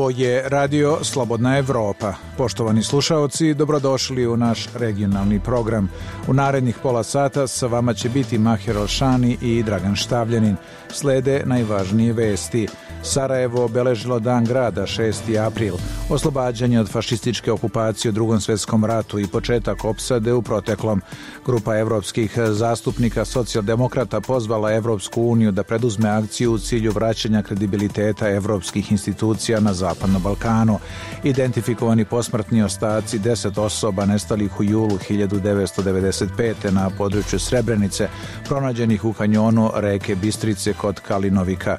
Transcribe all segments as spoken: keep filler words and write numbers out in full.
Ovo je Radio Slobodna Evropa. Poštovani slušaoci, dobrodošli u naš regionalni program. U narednih pola sata sa vama će biti Mahir Alšani i Dragan Štavljanin. Slede najvažnije vesti. Sarajevo obeležilo Dan grada šesti april, oslobađanje od fašističke okupacije u Drugom svjetskom ratu i početak opsade u proteklom. Grupa evropskih zastupnika socijaldemokrata pozvala Evropsku uniju da preduzme akciju u cilju vraćanja kredibiliteta evropskih institucija na Zapadnom Balkanu. Identifikovani posmrtni ostaci deset osoba nestalih u julu hiljadu devetsto devedeset pete. na području Srebrenice, pronađenih u kanjonu reke Bistrice kod Kalinovika.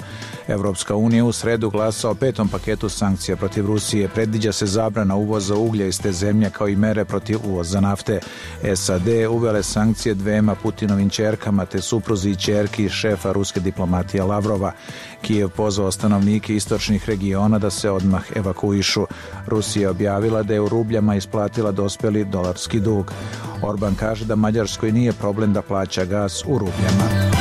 Evropska unija u sredu glasa o petom paketu sankcija protiv Rusije. Predviđa se zabrana uvoza uglja iz te zemlje kao i mere protiv uvoza nafte. S A D uvele sankcije dvema Putinovim ćerkama te supruzi i ćerki šefa ruske diplomatije Lavrova. Kijev pozvao stanovnike istočnih regiona da se odmah evakuišu. Rusija objavila da je u rubljama isplatila dospjeli dolarski dug. Orban kaže da Mađarskoj nije problem da plaća gas u rubljama.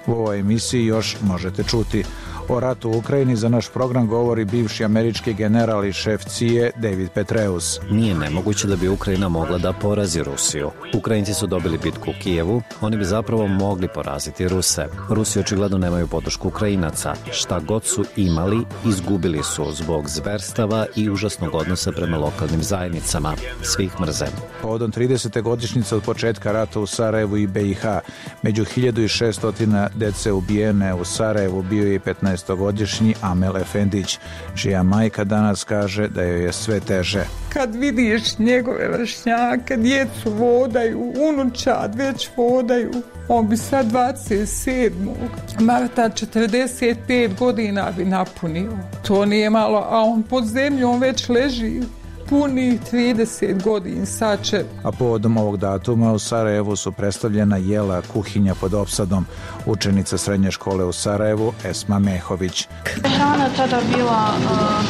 U ovoj emisiji još možete čuti o ratu u Ukrajini. Za naš program govori bivši američki general i šef C I A David Petraeus. Nije nemoguće da bi Ukrajina mogla da porazi Rusiju. Ukrajinci su dobili bitku u Kijevu, oni bi zapravo mogli poraziti Ruse. Rusi očigledno nemaju podršku Ukrajinaca. Šta god su imali, izgubili su zbog zverstava i užasnog odnosa prema lokalnim zajednicama. Svih mrze. Povodom tridesete godišnjice od početka rata u Sarajevu i B i H, među hiljadu šesto dece ubijene u Sarajevu bio je petnaestogodišnji Amel Efendić, čija majka danas kaže da joj je sve teže. Kad vidiš njegove vršnjake, djecu vodaju, unučad već vodaju, on bi sad dvadeset sedmog marta četrdeset pet godina bi napunio. To nije malo, a on pod zemljom već leži. Punih trideset godina sad će. A povodom ovog datuma u Sarajevu su predstavljena jela kuhinja pod opsadom. Učenica srednje škole u Sarajevu Esma Mehović. Hrana tada bila uh,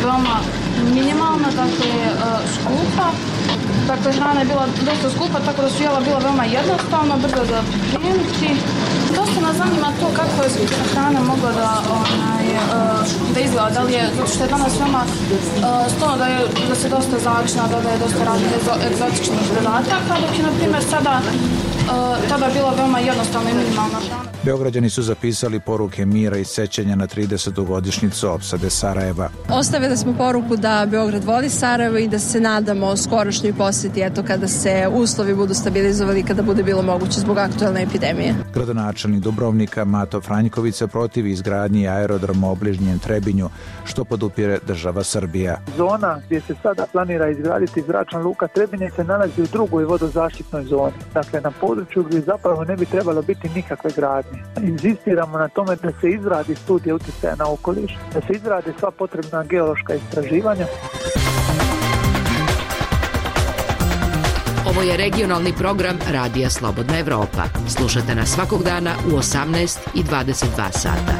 veoma minimalna, dakle uh, skupa. Dakle, hrana je bila dosta skupa, tako da su jela bila veoma jednostavna, brzo za pripremiti. Dosta nas zanima to kako je hrana mogla da, onaj, uh, da izgleda, da li je, zato što je danas veoma uh, stvarno da, je, da se dosta zavična, da, da je dosta raznih egzotičnih dodataka, dok je, na primjer, sada uh, tada bila veoma jednostavna i minimalna hrana. Beograđani su zapisali poruke mira i sećanja na tridesetu godišnjicu opsade Sarajeva. Ostavili smo poruku da Beograd voli Sarajevo i da se nadamo skorošnjoj posjeti, eto kada se uslovi budu stabilizovali, kada bude bilo moguće zbog aktualne epidemije. Gradonačelnik Dubrovnika Mato Franjković se protivi izgradnji aerodroma u obližnjem Trebinju, što podupire država Srbija. Zona gdje se sada planira izgraditi zračna luka Trebinje se nalazi u drugoj vodozaštitnoj zoni. Dakle, na području gdje zapravo ne bi trebalo biti nikakve gradnje. Inzistiramo na tome da se izradi studija utjecaja na okoliš, da se izrade sva potrebna geološka istraživanja. Ovo je regionalni program Radija Slobodna Evropa. Slušate nas svakog dana u osamnaest i dvadeset dva sata.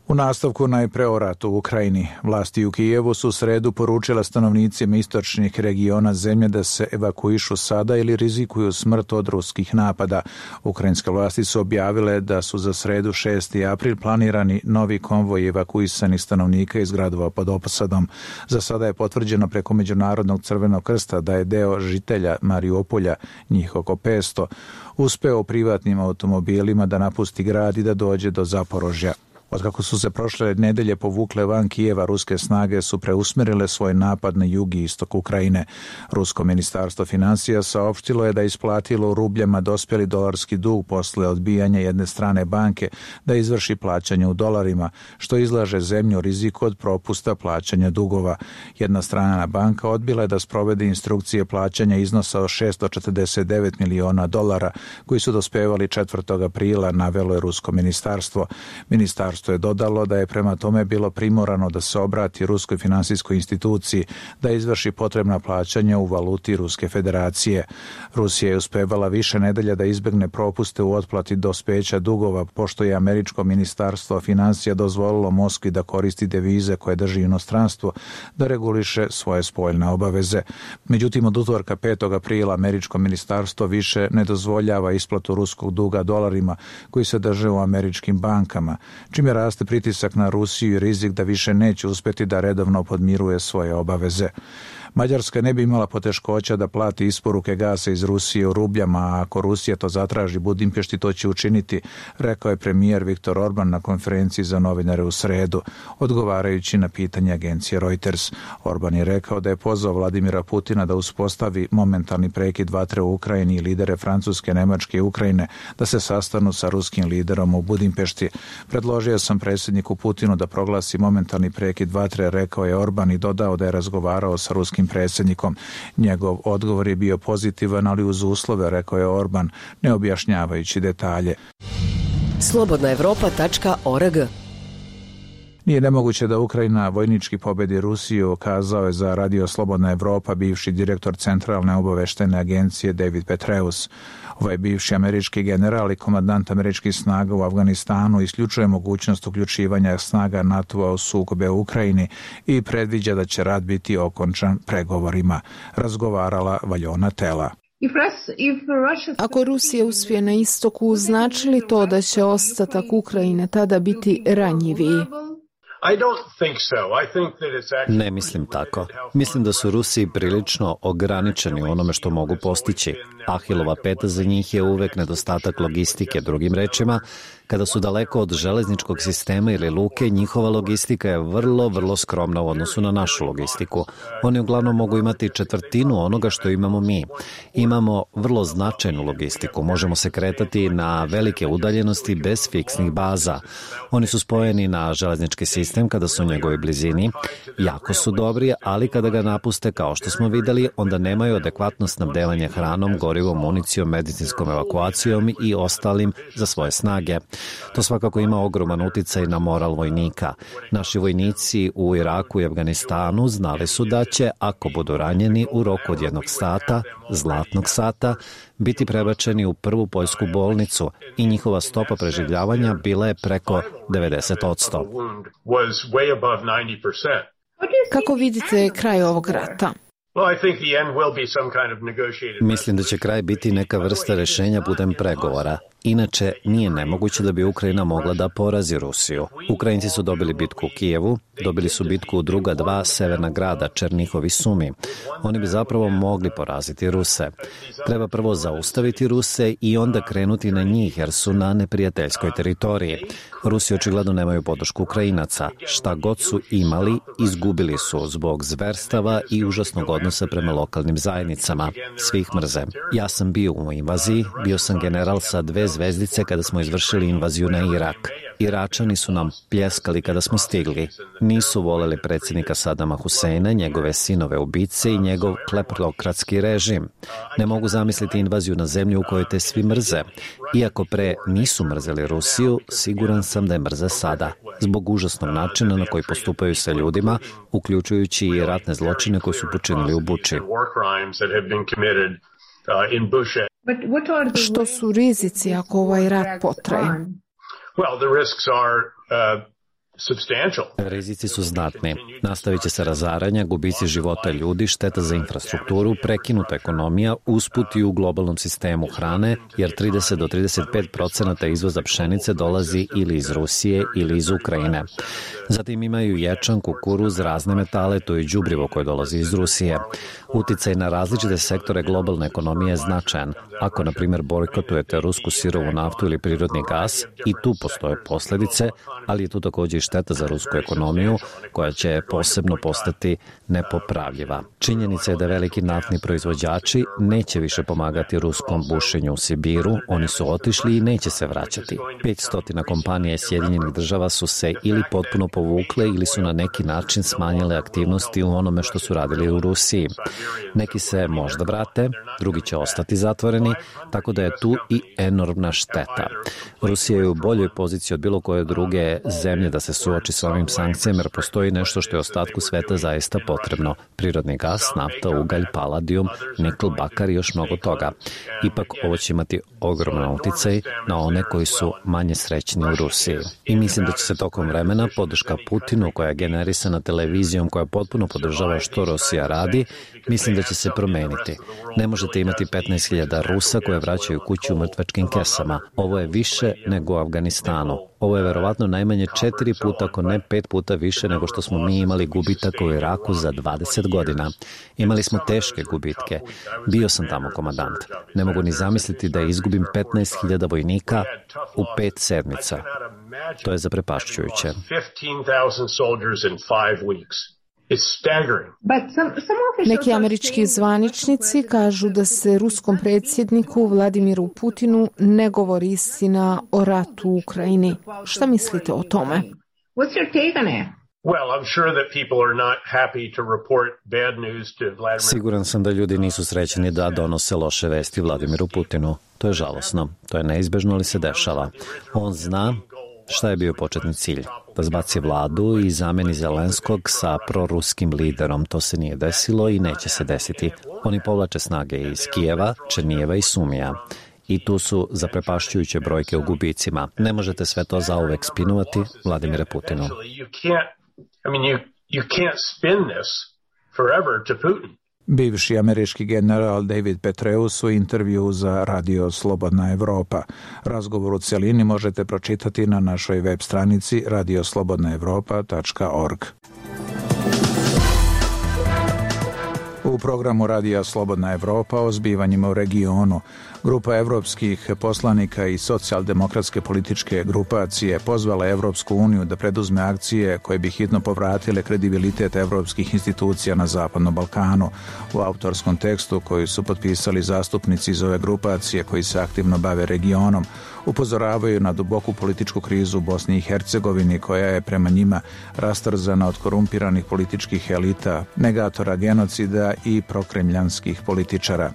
U nastavku najpre o ratu u Ukrajini. Vlasti u Kijevu su u sredu poručila stanovnicima istočnih regiona zemlje da se evakuišu sada ili rizikuju smrt od ruskih napada. Ukrajinske vlasti su objavile da su za sredu šesti april planirani novi konvoj evakuisanih stanovnika iz gradova pod opsadom. Za sada je potvrđeno preko Međunarodnog crvenog krsta da je deo žitelja Mariupolja, njih oko petsto, uspeo privatnim automobilima da napusti grad i da dođe do Zaporožja. Otkako su se prošle nedelje povukle van Kijeva, ruske snage su preusmjerile svoj napad na jug i istok Ukrajine. Rusko ministarstvo financija saopštilo je da je isplatilo u rubljama dospjeli dolarski dug posle odbijanja jedne strane banke da izvrši plaćanje u dolarima, što izlaže zemlju riziku od propusta plaćanja dugova. Jedna strana banka odbila je da sprovede instrukcije plaćanja iznosa od šesto četrdeset devet miliona dolara koji su dospevali četvrtog aprila, navelo je rusko ministarstvo. Ministarstvo ministarstvo je dodalo da je prema tome bilo primorano da se obrati ruskoj finansijskoj instituciji da izvrši potrebna plaćanja u valuti Ruske federacije. Rusija je uspevala više nedelja da izbegne propuste u otplati dospeća dugova, pošto je američko ministarstvo financija dozvolilo Moskvi da koristi devize koje drži inostranstvo da reguliše svoje spoljne obaveze. Međutim, od utorka petog aprila američko ministarstvo više ne dozvoljava isplatu ruskog duga dolarima koji se drže u američkim bankama, čime raste pritisak na Rusiju i rizik da više neće uspjeti da redovno podmiruje svoje obaveze. Mađarska ne bi imala poteškoća da plati isporuke gasa iz Rusije u rubljama, a ako Rusija to zatraži Budimpešti, to će učiniti, rekao je premijer Viktor Orban na konferenciji za novinare u sredu, odgovarajući na pitanje agencije Reuters. Orban je rekao da je pozvao Vladimira Putina da uspostavi momentalni prekid vatre u Ukrajini i lidere Francuske, Nemačke i Ukrajine da se sastanu sa ruskim liderom u Budimpešti. Predložio sam predsjedniku Putinu da proglasi momentalni prekid vatre, rekao je Orban i dodao da je razgovarao sa ruskim predsjednikom. Njegov odgovor je bio pozitivan, ali uz uslove, rekao je Orban, ne objašnjavajući detalje. slobodna evropa tačka org. Nije nemoguće da Ukrajina vojnički pobedi Rusiju, kazao je za Radio Slobodna Evropa bivši direktor Centralne obaveštene agencije David Petraeus. Ovaj bivši američki general i komandant američkih snaga u Afganistanu isključuje mogućnost uključivanja snaga NATO-a u sukobe u Ukrajini i predviđa da će rat biti okončan pregovorima, razgovarala Valjona Tela. Ako Rusija uspije na istoku, znači li to da će ostatak Ukrajine tada biti ranjiviji? Ne mislim tako. Mislim da su Rusi prilično ograničeni u onome što mogu postići. Ahilova peta za njih je uvek nedostatak logistike, drugim rečima, kada su daleko od železničkog sistema ili luke, njihova logistika je vrlo, vrlo skromna u odnosu na našu logistiku. Oni uglavnom mogu imati četvrtinu onoga što imamo mi. Imamo vrlo značajnu logistiku. Možemo se kretati na velike udaljenosti bez fiksnih baza. Oni su spojeni na železnički sistem kada su u njegovoj blizini. Jako su dobri, ali kada ga napuste, kao što smo videli, onda nemaju adekvatno snabdevanje hranom, gorivom, municijom, medicinskom evakuacijom i ostalim za svoje snage. To svakako ima ogroman uticaj na moral vojnika. Naši vojnici u Iraku i Afganistanu znali su da će, ako budu ranjeni u roku od jednog sata, zlatnog sata, biti prebačeni u prvu poljsku bolnicu i njihova stopa preživljavanja bila je preko devedeset posto. Kako vidite kraj ovog rata? Mislim da će kraj biti neka vrsta rešenja putem pregovora. Inače, nije nemoguće da bi Ukrajina mogla da porazi Rusiju. Ukrajinci su dobili bitku u Kijevu, dobili su bitku u druga dva severna grada, Černihov i Sumi. Oni bi zapravo mogli poraziti Ruse. Treba prvo zaustaviti Ruse i onda krenuti na njih, jer su na neprijateljskoj teritoriji. Rusi očigledno nemaju podršku Ukrajinaca. Šta god su imali, izgubili su zbog zverstava i užasnog odnosa prema lokalnim zajednicama. Svi ih mrze. Ja sam bio u invaziji, bio sam general sa dve zvezdice kada smo izvršili invaziju na Irak. Iračani su nam pljeskali kada smo stigli. Nisu voleli predsjednika Sadama Huseina, njegove sinove ubice i njegov kleptokratski režim. Ne mogu zamisliti invaziju na zemlju u kojoj te svi mrze. Iako pre nisu mrzeli Rusiju, siguran sam da je mrze sada, zbog užasnog načina na koji postupaju sa ljudima, uključujući i ratne zločine koje su počinili u Buči. Što su rizici ako ovaj rat potraje? Rizici su znatni. Nastavit će se razaranja, gubici života ljudi, šteta za infrastrukturu, prekinuta ekonomija, usput i u globalnom sistemu hrane, jer trideset do trideset pet procenata izvoza pšenice dolazi ili iz Rusije ili iz Ukrajine. Zatim imaju ječam, kukuruz, razne metale, to i đubrivo koje dolazi iz Rusije. Uticaj na različite sektore globalne ekonomije je značajan. Ako, na primjer, bojkotujete rusku sirovu naftu ili prirodni gas, i tu postoje posljedice, ali je tu također i šteta za rusku ekonomiju koja će posebno postati nepopravljiva. Činjenica je da veliki naftni proizvođači neće više pomagati ruskom bušenju u Sibiru, oni su otišli i neće se vraćati. petsto kompanija iz Sjedinjenih država su se ili potpuno povukle ili su na neki način smanjile aktivnosti u onome što su radili u Rusiji. Neki se možda vrate, drugi će ostati zatvoreni, tako da je tu i enormna šteta. Rusija je u boljoj poziciji od bilo koje druge zemlje da se suoči s ovim sankcijama, jer postoji nešto što je ostatku sveta zaista potrebno. Prirodni gas, nafta, ugalj, paladijum, nikl, bakar i još mnogo toga. Ipak ovo će imati ogroman uticaj na one koji su manje srećni u Rusiji. I mislim da će se tokom vremena podrška Putinu, koja je generisana televizijom koja potpuno podržava što Rusija radi, mislim da će se promeniti. Ne možete imati petnaest hiljada Rusa koje vraćaju kuću u mrtvačkim kesama. Ovo je više nego u Afganistanu. Ovo je verovatno najmanje četiri puta, ako ne pet puta više nego što smo mi imali gubitaka u Iraku za dvadeset godina. Imali smo teške gubitke. Bio sam tamo komandant. Ne mogu ni zamisliti da izgubim petnaest hiljada vojnika u pet sedmica. To je zaprepašćujuće. Neki američki zvaničnici kažu da se ruskom predsjedniku Vladimiru Putinu ne govori istina o ratu u Ukrajini. Šta mislite o tome? Siguran sam da ljudi nisu srećni da donose loše vesti Vladimiru Putinu. To je žalosno. To je neizbežno, ali se dešava. On zna šta je bio početni cilj? Da zbaci vladu i zameni Zelenskog sa proruskim liderom. To se nije desilo i neće se desiti. Oni povlače snage iz Kijeva, Černijeva i Sumija. I tu su zaprepašćujuće brojke u gubicima. Ne možete sve to zauvek spinovati Vladimire Putinu. Bivši američki general David Petraeus u intervju za Radio Slobodna Evropa. Razgovor u celini možete pročitati na našoj web stranici radio slobodna evropa tačka org. U programu Radija Slobodna Evropa o zbivanjima u regionu. Grupa evropskih poslanika i socijaldemokratske političke grupacije pozvala Evropsku uniju da preduzme akcije koje bi hitno povratile kredibilitet evropskih institucija na Zapadnom Balkanu. U autorskom tekstu koji su potpisali zastupnici iz ove grupacije koji se aktivno bave regionom, upozoravaju na duboku političku krizu u Bosni i Hercegovini koja je prema njima rastrzana od korumpiranih političkih elita, negatora genocida i prokremljanskih političara.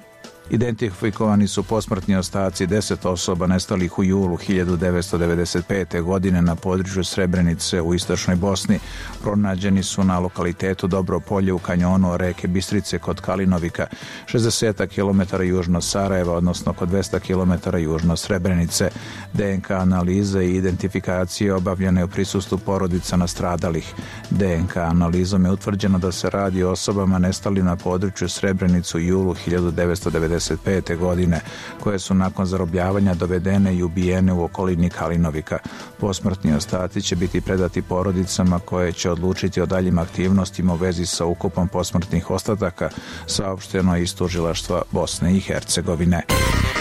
Identifikovani su posmrtni ostaci deset osoba nestalih u julu hiljadu devetsto devedeset pete. godine na području Srebrenice u istočnoj Bosni. Pronađeni su na lokalitetu Dobro polje u kanjonu reke Bistrice kod Kalinovika, šezdeset kilometara južno Sarajeva, odnosno kod dvesta kilometara južno Srebrenice. D N K analiza i identifikacije obavljene u prisustvu porodica nastradalih. D N K analizom je utvrđeno da se radi o osobama nestali na području Srebrenicu u julu hiljadu devetsto devedeset pete. godine, koje su nakon zarobljavanja dovedene i ubijene u okolini Kalinovika. Posmrtni ostaci će biti predati porodicama koje će odlučiti o daljim aktivnostima u vezi sa ukupom posmrtnih ostataka, saopšteno iz tužilaštva Bosne i Hercegovine.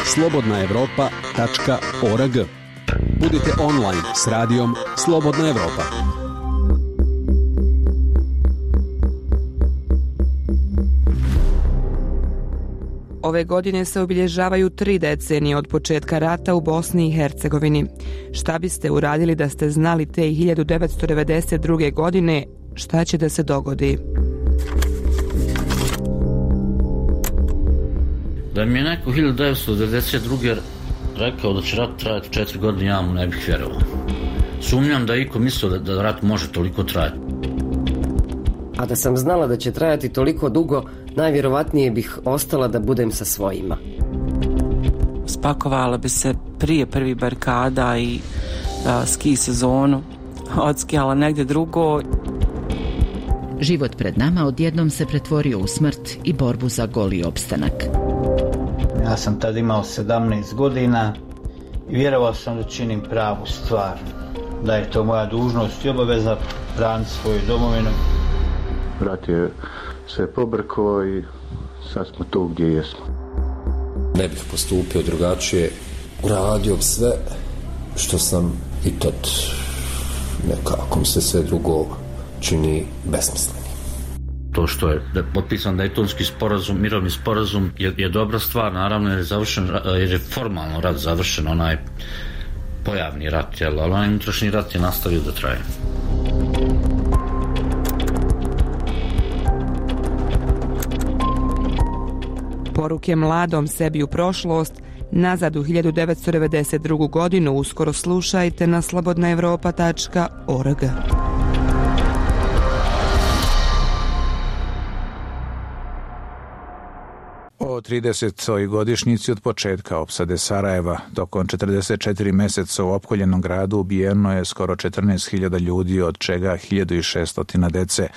slobodna evropa tačka org. Budite online s radijom Slobodna Evropa. Ove godine se obilježavaju tri decenije od početka rata u Bosni i Hercegovini. Šta biste uradili da ste znali te hiljadu devetsto devedeset druge. godine šta će da se dogodi? Da mi je neko hiljadu devetsto devedeset druge. rekao da će rat trajati četiri godine, ja mu ne bih vjerovao. Sumnjam da je iko mislio da, da rat može toliko trajati. A da sam znala da će trajati toliko dugo, najvjerovatnije bih ostala da budem sa svojima. Spakovala bi se prije prvih barikada i a, ski sezonu, odskijala negdje drugo. Život pred nama odjednom se pretvorio u smrt i borbu za goli opstanak. Ja sam tad imao sedamnaest godina i vjerovao sam da činim pravu stvar, da je to moja dužnost i obaveza braniti svoju domovinu. Brat je sve pobrkao i sad smo tu gdje jesmo. Ne bih postupio drugačije, uradio sve što sam i tad nekako mi se sve drugo čini besmisleni. To što je da je potpisan Dejtonski sporazum, mirovni sporazum je, je dobra stvar, naravno jer je, završen, jer je formalno rat završen, onaj pojavni rat, jel, ali onaj unutrašnji rat je nastavio da traje. Poruke mladom sebi u prošlost, nazad u hiljadu devetsto devedeset drugu. godinu, uskoro slušajte na slobodna evropa tačka org. O tridesetoj godišnjici od početka opsade Sarajeva, tokom četrdeset četiri meseca u opkoljenom gradu ubijeno je skoro četrnaest hiljada ljudi, od čega hiljadu šesto dece.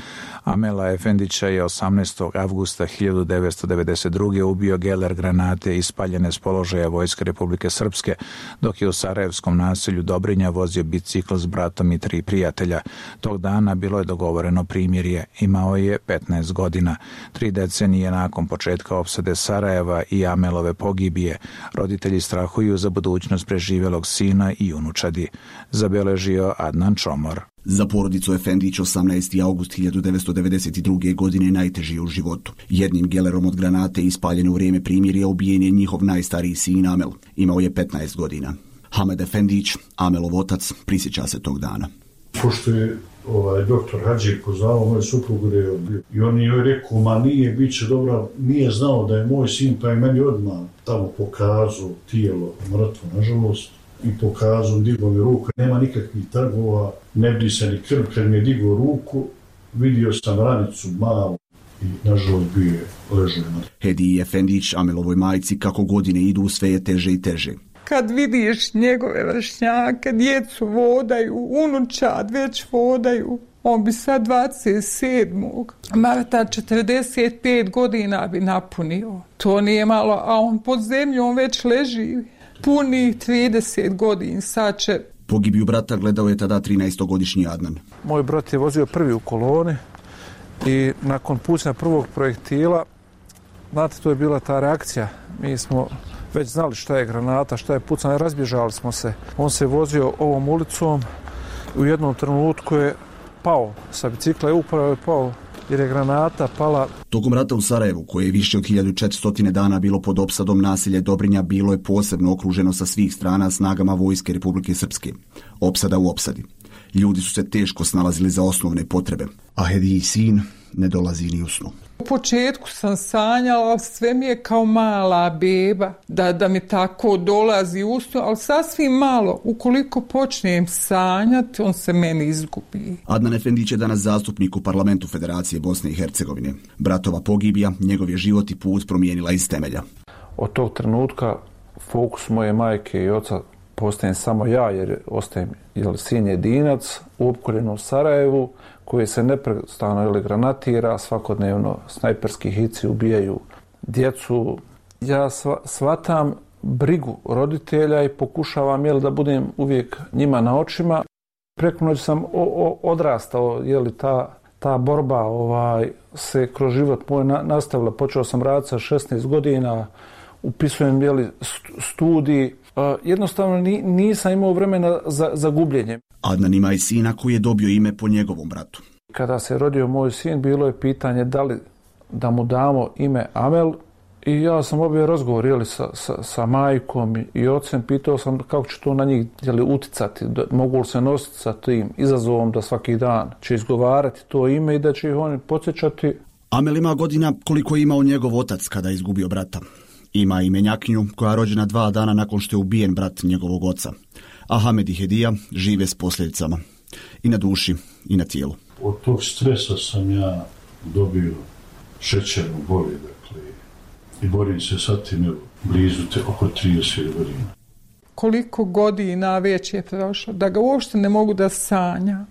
Amela Efendića je osamnaestog avgusta hiljadu devetsto devedeset druge. ubio geler granate ispaljene s položaja Vojske Republike Srpske, dok je u sarajevskom naselju Dobrinja vozio bicikl s bratom i tri prijatelja. Tog dana bilo je dogovoreno primirje. Imao je petnaest godina. Tri decenije nakon početka opsade Sarajeva i Amelove pogibije, roditelji strahuju za budućnost preživjelog sina i unučadi. Zabeležio Adnan Čomor. Za porodicu Efendić osamnaesti avgust hiljadu devetsto devedeset druge. godine najteži u životu. Jednim gelerom od granate ispaljene u vrijeme primirja ubijen je njihov najstariji sin Amel. Imao je petnaest godina. Hamed Efendić, Amelov otac, prisjeća se tog dana. Pošto je ovaj, doktor Hadži poznao moj suprugu da je odbio. I on je rekao, ma nije, bit će dobro, nije znao da je moj sin, pa je meni odmah tamo pokazao tijelo mrtvo, nažalost. I pokazao, digao mi ruku, nema nikakvih trgova, ne bdi se ni krv, kad mi je digao ruku, vidio sam ranicu malu i nažalost bio je ležao. Hediji Efendić, Amelovoj majci, kako godine idu, sve je teže i teže. Kad vidiš njegove vršnjake, djecu vodaju, unučad već vodaju, on bi sad dvadeset sedmog marta četrdeset pet godina bi napunio. To nije malo, a on pod zemljom već leži. Puni trideset godina, sad će. Pogibiju brata gledao je tada trinaestogodišnji Adnan. Moj brat je vozio prvi u koloni i nakon pucnja prvog projektila, znate, to je bila ta reakcija. Mi smo već znali šta je granata, šta je pucanje, razbježali smo se. On se vozio ovom ulicom, u jednom trenutku je pao, sa bicikla je upravo je pao jer je granata pala. Tokom rata u Sarajevu, koje je više od hiljadu četiristo dana bilo pod opsadom, naselje Dobrinja bilo je posebno okruženo sa svih strana snagama Vojske Republike Srpske. Opsada u opsadi. Ljudi su se teško snalazili za osnovne potrebe, a Hediji sin ne dolazi ni u snu. U početku sam sanjala, sve mi je kao mala beba, da, da mi tako dolazi u snu, ali sasvim malo. Ukoliko počnem sanjati, on se meni izgubi. Adnan Efendić je danas zastupnik u parlamentu Federacije Bosne i Hercegovine. Bratova pogibija, njegov je život i put promijenila iz temelja. Od tog trenutka fokus moje majke i oca postajem samo ja, jer ostajem jel, sin jedinac u opkoljenom Sarajevu, koji se neprestano ili granatira, svakodnevno snajperski hici ubijaju djecu. Ja shvatam brigu roditelja i pokušavam jel, da budem uvijek njima na očima. Preko noći sam o, o, odrastao, jel, ta, ta borba ovaj, se kroz život moj na, nastavila. Počeo sam raditi sa šesnaest godina, upisujem jel, studij. Uh, jednostavno ni, nisam imao vremena za, za gubljenje. Adnan ima i sina koji je dobio ime po njegovom bratu. Kada se rodio moj sin, bilo je pitanje da li da mu damo ime Amel i ja sam obio razgovor jeli, sa, sa, sa majkom i ocem, pitao sam kako će to na njih jeli, uticati, da, mogu li se nositi sa tim izazovom da svaki dan će izgovarati to ime i da će ih oni podsjećati. Amel ima godina koliko je imao njegov otac kada je izgubio brata. Ima i menjakinju koja je rođena dva dana nakon što je ubijen brat njegovog oca. A Hamed i Hedija žive s posljedicama. I na duši, i na tijelu. Od tog stresa sam ja dobio šećernu bolest, dakle, i borim se sa tim blizu te oko trideset godina. Koliko godina već je prošlo, da ga uopšte ne mogu da sanja.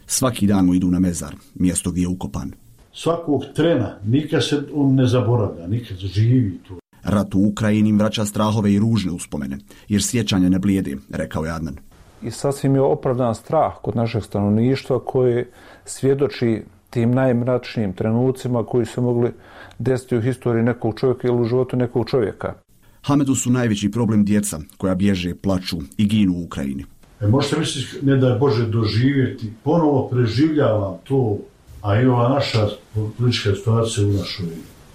Svaki dan mu idu na mezar, mjesto gdje je ukopan. Svakog trena, nikad se on ne zaboravlja, nikad živi tu. Rat u Ukrajini vraća strahove i ružne uspomene, jer sjećanja ne blijede, rekao je Adnan. I sasvim je opravdan strah kod našeg stanovništva koje svjedoči tim najmračnijim trenucima koji su mogli desiti u historiji nekog čovjeka ili u životu nekog čovjeka. Hamedu su najveći problem djeca koja bježe, plaču i ginu u Ukrajini. E, možete misliti, ne da je Bože doživjeti, ponovo preživljavam to, a i ova naša politička situacija u našoj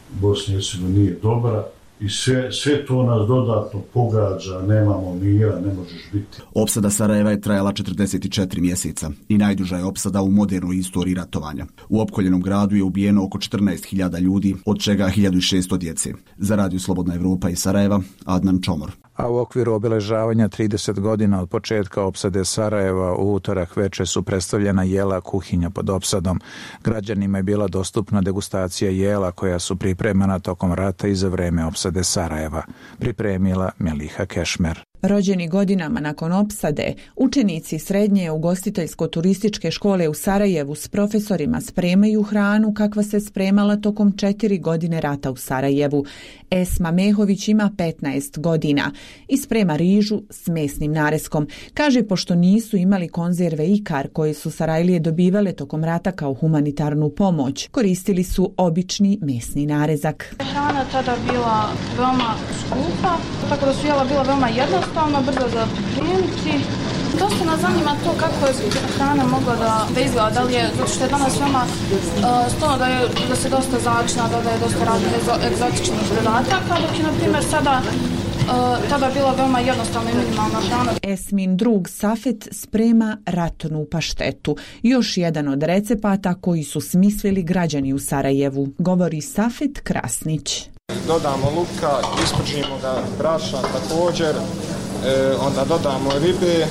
Bosni i Hercegovini nije dobra i sve, sve to nas dodatno pogađa, nemamo mira, ne možeš biti. Opsada Sarajeva je trajala četrdeset četiri mjeseca i najduža je opsada u modernoj istoriji ratovanja. U opkoljenom gradu je ubijeno oko četrnaest hiljada ljudi, od čega hiljadu šesto djece. Za Radio Slobodna Evropa iz Sarajeva, Adnan Čomor. A u okviru obilježavanja trideset godina od početka opsade Sarajeva u utorak veče su predstavljena jela kuhinja pod opsadom. Građanima je bila dostupna degustacija jela koja su pripremana tokom rata i za vreme opsade Sarajeva. Pripremila Meliha Kešmer. Rođeni godinama nakon opsade, učenici srednje ugostiteljsko-turističke škole u Sarajevu s profesorima spremaju hranu kakva se spremala tokom četiri godine rata u Sarajevu. Esma Mehović ima petnaest godina i sprema rižu s mesnim nareskom. Kaže, pošto nisu imali konzerve ikar koje su Sarajlije dobivale tokom rata kao humanitarnu pomoć, koristili su obični mesni narezak. Hrana tada bila veoma skupa, tako da su jela bila veoma jednostavna, brzo za pripremiti. Dosta nas zanima to kako je hrana mogla da, da izgleda, da li je, zato što je danas veoma uh, stvarno da, je, da se dosta začina, da, da je dosta raznih egzotičnih dodataka, dok je, na primjer, sada Uh, tada je bila veoma jednostavna i minimalna hrana. Esmin drug Safet sprema ratnu paštetu, još jedan od recepata koji su smislili građani u Sarajevu, govori Safet Krasnić. Dodamo luka, ispržimo ga brašna također, e, onda dodamo ribe, e,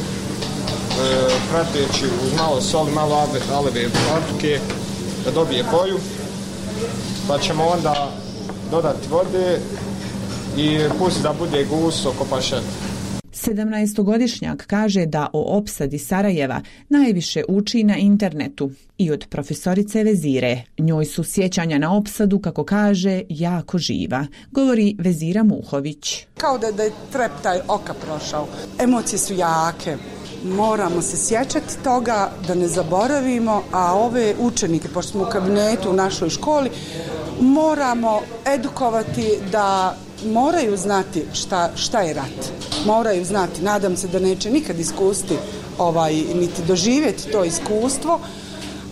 prateći uz malo soli, malo aleve paprike da dobije boju, pa ćemo onda dodati vode i pusti da bude gusto oko pašeta. sedamnaestogodišnjak kaže da o opsadi Sarajeva najviše uči na internetu i od profesorice Vezire. Njoj su sjećanja na opsadu, kako kaže, jako živa, govori Vezira Muhović. Kao da, da je treptaj oka prošao. Emocije su jake. Moramo se sjećati toga da ne zaboravimo, a ove učenike, pošto smo u kabinetu u našoj školi, moramo edukovati da moraju znati šta, šta je rat. Moraju znati, nadam se da neće nikad iskusiti ovaj, niti doživjeti to iskustvo,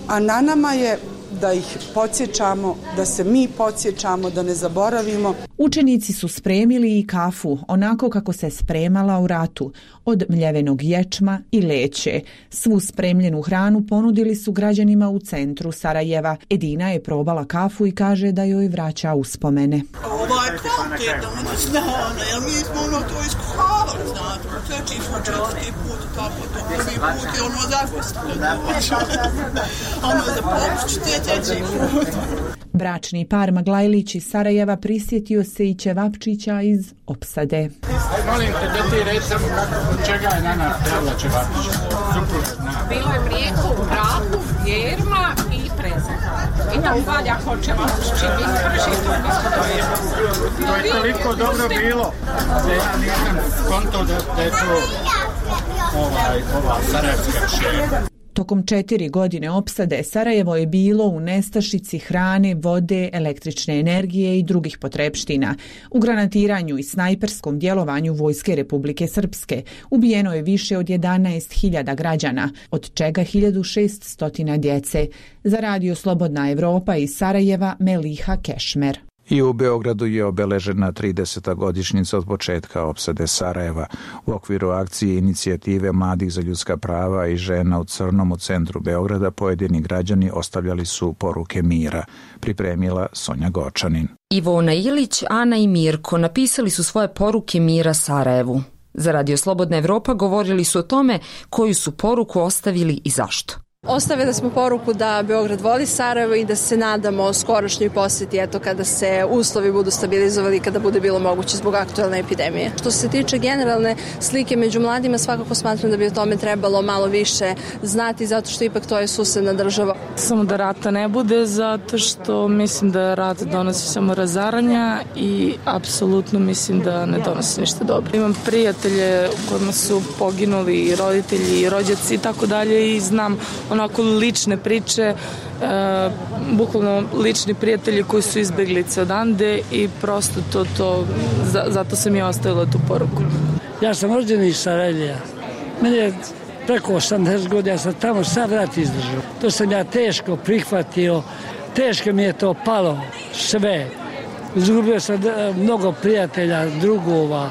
a na nama je da ih podsjećamo, da se mi podsjećamo, da ne zaboravimo. Učenici su spremili i kafu, onako kako se spremala u ratu, od mljevenog ječma i leće. Svu spremljenu hranu ponudili su građanima u centru Sarajeva. Edina je probala kafu i kaže da joj vraća uspomene. Ovo je kvalitetno, ono znano, jer mi smo ono to iskuhavali, znate, treći smo četvrti put, tako to prvi put je ono zapisano, ono za popušćite treći put. Bračni par Maglajlić iz Sarajeva prisjetio se i ćevapčića iz opsade. Molim te da ti reći samo kako, čega je na nas trebala ćevapčića? Bilo je mlijeko u prahu, jerma i prezak. I tam valja ko ćevapčići, mi prži to mi smo dojeli. To je toliko dobro bilo da ja nisam konto da, da je to ovaj, ova sarajevska ševa. Tokom četiri godine opsade Sarajevo je bilo u nestašici hrane, vode, električne energije i drugih potrepština. U granatiranju i snajperskom djelovanju Vojske Republike Srpske ubijeno je više od jedanaest hiljada građana, od čega hiljadu šesto djece. Za Radio Slobodna Evropa iz Sarajeva, Meliha Kešmer. I u Beogradu je obeležena trideseta godišnjica od početka opsade Sarajeva. U okviru akcije inicijative Mladih za ljudska prava i žena u crnom u centru Beograda pojedini građani ostavljali su poruke mira, pripremila Sonja Gočanin. Ivona Ilić, Ana i Mirko napisali su svoje poruke mira Sarajevu. Za Radio Slobodna Evropa govorili su o tome koju su poruku ostavili i zašto. Ostavili smo poruku da Beograd voli Sarajevo i da se nadamo skorošnjoj posjeti, eto, kada se uslovi budu stabilizovali i kada bude bilo moguće zbog aktualne epidemije. Što se tiče generalne slike među mladima, svakako smatram da bi o tome trebalo malo više znati, zato što ipak to je susedna država. Samo da rata ne bude, zato što mislim da rat donosi samo razaranja i apsolutno mislim da ne donosi ništa dobro. Imam prijatelje u kojima su poginuli i roditelji i rođaci i tako dalje i znam onako lične priče, e, bukvalno lični prijatelji koji su izbeglice odande i prosto to, to za, zato sam i ostavila tu poruku. Ja sam rođen iz Sarajeva. Meni je preko osamdeset godina sam tamo sad rat izdržao. To sam ja teško prihvatio, teško mi je to palo sve. Izgubio sam mnogo prijatelja, drugova,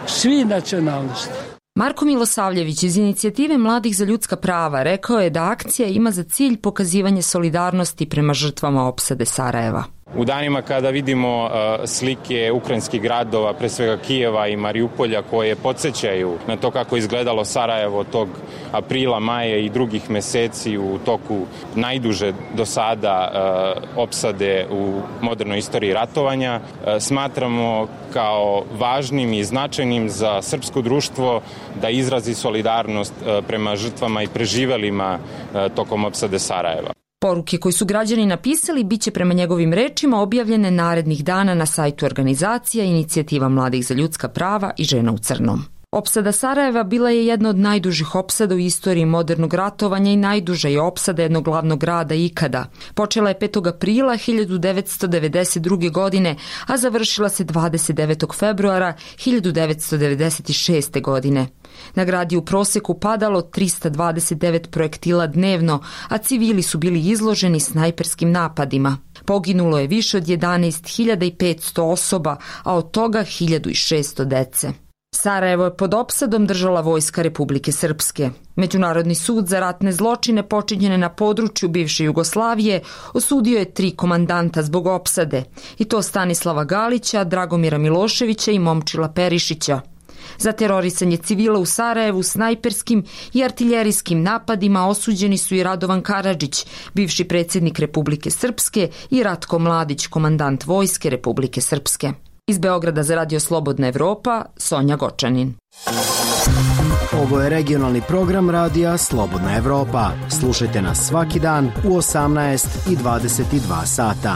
svi nacionalnosti. Marko Milosavljević iz Inicijative mladih za ljudska prava rekao je da akcija ima za cilj pokazivanje solidarnosti prema žrtvama opsade Sarajeva. U danima kada vidimo uh, slike ukrajinskih gradova, pre svega Kijeva i Mariupolja, koje podsjećaju na to kako je izgledalo Sarajevo tog aprila, maja i drugih meseci u toku najduže do sada uh, opsade u modernoj istoriji ratovanja, uh, smatramo kao važnim i značajnim za srpsko društvo da izrazi solidarnost uh, prema žrtvama i preživelima uh, tokom opsade Sarajeva. Poruke koje su građani napisali bit će prema njegovim rečima objavljene narednih dana na sajtu organizacija Inicijativa mladih za ljudska prava i Žena u crnom. Opsada Sarajeva bila je jedna od najdužih opsada u istoriji modernog ratovanja i najduža je opsada jednog glavnog grada ikada. Počela je petog aprila hiljadu devetsto devedeset druge. godine, a završila se dvadeset devetog februara hiljadu devetsto devedeset šeste. godine. Na grad je u proseku padalo trista dvadeset devet projektila dnevno, a civili su bili izloženi snajperskim napadima. Poginulo je više od jedanaest hiljada petsto osoba, a od toga hiljadu šesto dece. Sarajevo je pod opsadom držala vojska Republike Srpske. Međunarodni sud za ratne zločine počinjene na području bivše Jugoslavije osudio je tri komandanta zbog opsade, i to Stanislava Galića, Dragomira Miloševića i Momčila Perišića. Za terorisanje civila u Sarajevu snajperskim i artiljerijskim napadima osuđeni su i Radovan Karadžić, bivši predsjednik Republike Srpske, i Ratko Mladić, komandant vojske Republike Srpske. Iz Beograda za Radio Slobodna Evropa, Sonja Gočanin. Ovo je regionalni program radija Slobodna Evropa. Slušajte nas svaki dan u osamnaest i dvadeset dva sata.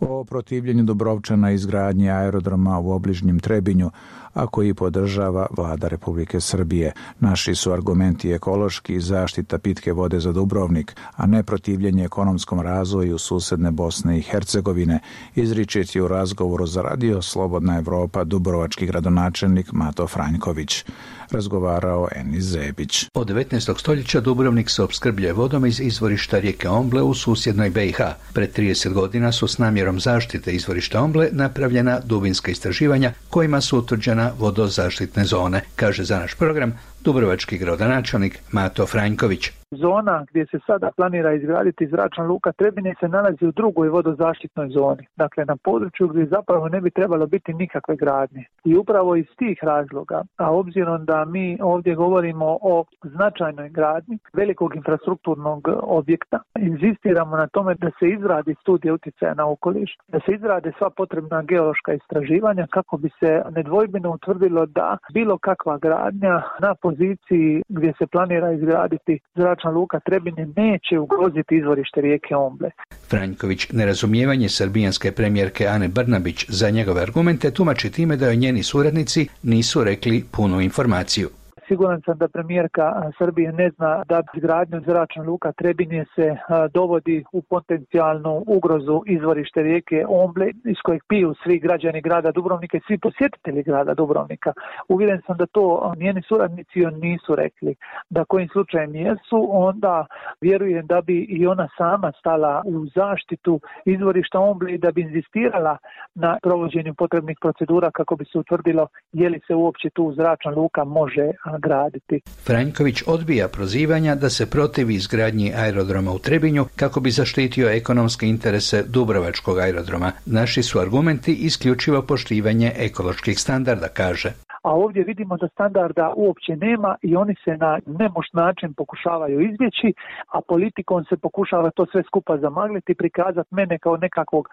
O protivljenju Dubrovčana izgradnje aerodroma u obližnjem Trebinju, a koji podržava vlada Republike Srbije. Naši su argumenti ekološki i zaštita pitke vode za Dubrovnik, a ne protivljenje ekonomskom razvoju susedne Bosne i Hercegovine, izričiti u razgovoru za Radio Slobodna Evropa dubrovački gradonačelnik Mato Franjković. Razgovarao Enis Zebić. Od devetnaestog stoljeća Dubrovnik se opskrbljuje vodom iz izvorišta rijeke Omble u susjednoj B i H. Pred trideset godina su s namjerom zaštite izvorišta Omble napravljena dubinska istraživanja kojima su utvrđena vodozaštitne zone, kaže za naš program dubrovački gradonačelnik Mato Franjković. Zona gdje se sada planira izgraditi zračna luka Trebinje se nalazi u drugoj vodozaštitnoj zoni, dakle na području gdje zapravo ne bi trebalo biti nikakve gradnje. I upravo iz tih razloga, a obzirom da mi ovdje govorimo o značajnoj gradnji velikog infrastrukturnog objekta, inzistiramo na tome da se izradi studija utjecaja na okoliš, da se izrade sva potrebna geološka istraživanja kako bi se nedvojbeno utvrdilo da bilo kakva gradnja na poziciji gdje se planira izgraditi zračna luka Trebinje neće ugroziti izvorište rijeke Omble. Franjković nerazumijevanje srbijanske premijerke Ane Brnabić za njegove argumente tumači time da joj njeni suradnici nisu rekli punu informaciju. Siguran sam da premijerka Srbije ne zna da izgradnjom zračna luka Trebinje se dovodi u potencijalnu ugrozu izvorište rijeke Omble iz kojeg piju svi građani grada Dubrovnika i svi posjetitelji grada Dubrovnika. Uvjeren sam da to njeni suradnici nisu rekli. Da kojim slučajem jesu, onda vjerujem da bi i ona sama stala u zaštitu izvorišta Omble i da bi inzistirala na provođenju potrebnih procedura kako bi se utvrdilo je li se uopće tu zračna luka može graditi. Franjković odbija prozivanja da se protivi izgradnji aerodroma u Trebinju kako bi zaštitio ekonomske interese Dubrovačkog aerodroma. Naši su argumenti isključivo poštivanje ekoloških standarda, kaže. A ovdje vidimo da standarda uopće nema i oni se na nemoć način pokušavaju izbjeći, a politikom se pokušava to sve skupa zamagliti i prikazati mene kao nekakvog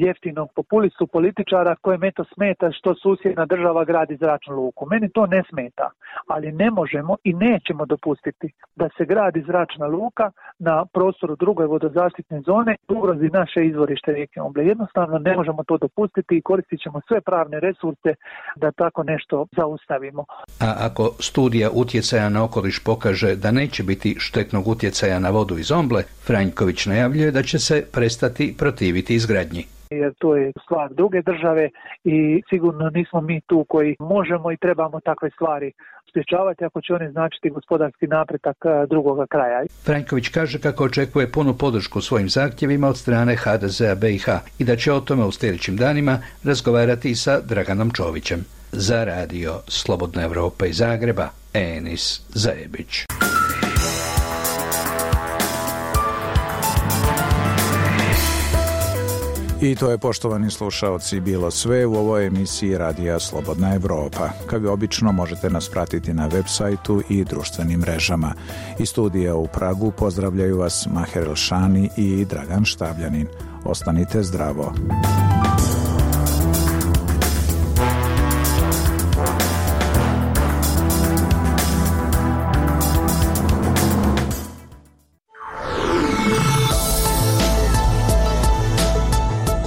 jeftinog populistu političara kojem eto smeta što susjedna država gradi zračnu luku. Meni to ne smeta, ali ne možemo i nećemo dopustiti da se gradi zračna luka na prostoru druge vodozaštitne zone i ugrozi naše izvorište rijeke Omble. Jednostavno ne možemo to dopustiti i koristit ćemo sve pravne resurse da tako nešto zaustavimo. A ako studija utjecaja na okoliš pokaže da neće biti štetnog utjecaja na vodu iz Omble, Franjković najavljuje da će se prestati protiviti izgradnji. jer to je stvar druge države i sigurno nismo mi tu koji možemo i trebamo takve stvari sprječavati ako će oni značiti gospodarski napredak drugoga kraja. Franjković kaže kako očekuje punu podršku svojim zahtjevima od strane ha de zea be i ha i da će o tome u sljedećim danima razgovarati i sa Draganom Čovićem. Za radio Slobodna Evropa iz Zagreba, Enis Zajebić. I to je, poštovani slušaoci, bilo sve u ovoj emisiji Radija Slobodna Evropa. Kao i obično možete nas pratiti na web sajtu i društvenim mrežama. Iz studija u Pragu pozdravljaju vas Maher Elšani i Dragan Štavljanin. Ostanite zdravo.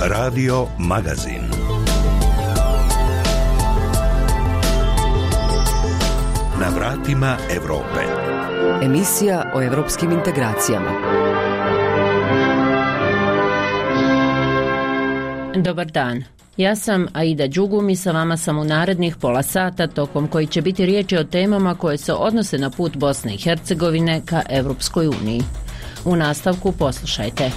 Radio Magazin. Na vratima Evrope. Emisija o evropskim integracijama. Dobar dan. Ja sam Aida Đugum i sa vama sam u narednih pola sata tokom koji će biti riječi o temama koje se odnose na put Bosne i Hercegovine ka Evropskoj uniji. U nastavku poslušajte.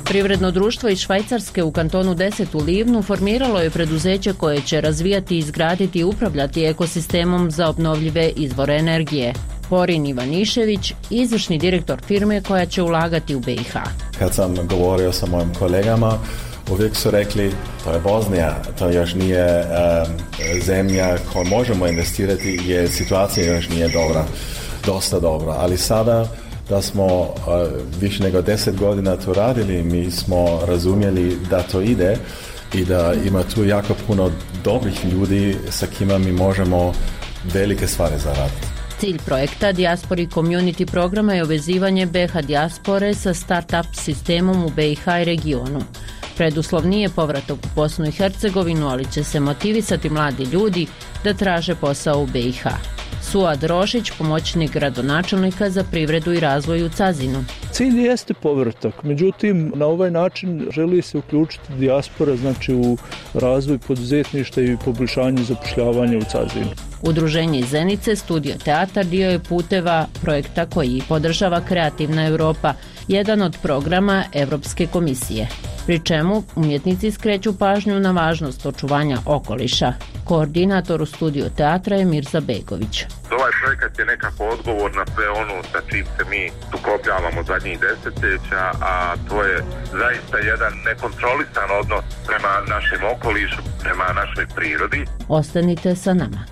Privredno društvo iz Švajcarske u kantonu deset u Livnu formiralo je preduzeće koje će razvijati, izgraditi i upravljati ekosistemom za obnovljive izvore energije. Porin Ivanišević, izvršni direktor firme koja će ulagati u be i ha. Kad sam govorio sa mojim kolegama, uvijek su rekli, to je Bosnija, to još nije um, zemlja koju možemo investirati jer situacija još nije dobra, dosta dobra, ali sada da smo uh, više nego deset godina to radili, mi smo razumjeli da to ide i da ima tu jako puno dobrih ljudi sa kima mi možemo velike stvari zaraditi. Cilj projekta Diaspori Community programa je uvezivanje be ha dijaspore sa start-up sistemom u be i ha i regionu. Preduslov nije povratak u Bosnu i Hercegovinu, ali će se motivisati mladi ljudi da traže posao u be i ha. Suad Rošić, pomoćnik gradonačelnika za privredu i razvoj u Cazinu. Cilj jeste povratak, međutim na ovaj način želi se uključiti dijaspora, znači u razvoj poduzetništva i poboljšanje zapošljavanja u Cazinu. Udruženje iz Zenice, Studio Teatar, dio je puteva projekta koji podržava Kreativna Europa, jedan od programa Evropske komisije. Pri čemu umjetnici skreću pažnju na važnost očuvanja okoliša. Koordinator u Studiju Teatra je Mirza Begović. Ovaj projekat je nekako odgovor na sve ono sa čim se mi sukobljavamo zadnjih desetljeća, a to je zaista jedan nekontrolisan odnos prema našem okolišu, prema našoj prirodi. Ostanite sa nama.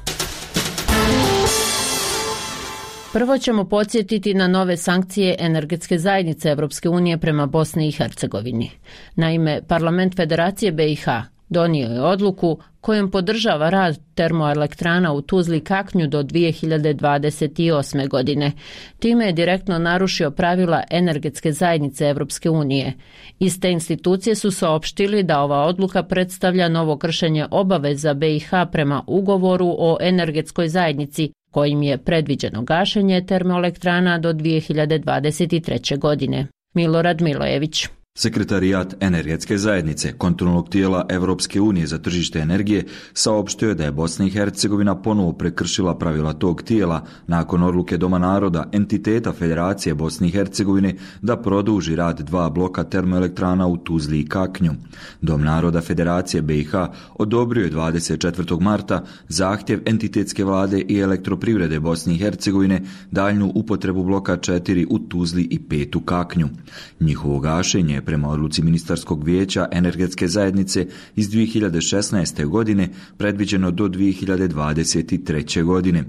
Prvo ćemo podsjetiti na nove sankcije energetske zajednice Evropske unije prema Bosni i Hercegovini. Naime, Parlament Federacije be i ha donio je odluku kojom podržava rad termoelektrana u Tuzli Kaknju do dvije hiljade dvadeset osme. godine. Time je direktno narušio pravila energetske zajednice Evropske unije. Iste institucije su saopštili da ova odluka predstavlja novo kršenje obaveza be i ha prema ugovoru o energetskoj zajednici, kojim je predviđeno gašenje termoelektrana do dvije hiljade dvadeset treće. godine. Milorad Milojević. Sekretarijat energetske zajednice, kontrolnog tijela Evropske unije za tržište energije, saopštio je da je Bosna i Hercegovina ponovo prekršila pravila tog tijela nakon odluke Doma naroda, entiteta Federacije Bosne i Hercegovine, da produži rad dva bloka termoelektrana u Tuzli i Kaknju. Dom naroda Federacije be i ha odobrio je dvadeset četvrtog marta zahtjev entitetske vlade i elektroprivrede Bosne i Hercegovine daljnju upotrebu bloka četiri u Tuzli i pet u Kaknju. Njihovo gašenje je prema odluci Ministarskog vijeća energetske zajednice iz dvije hiljade šesnaeste. godine predviđeno do dvije hiljade dvadeset treće. godine.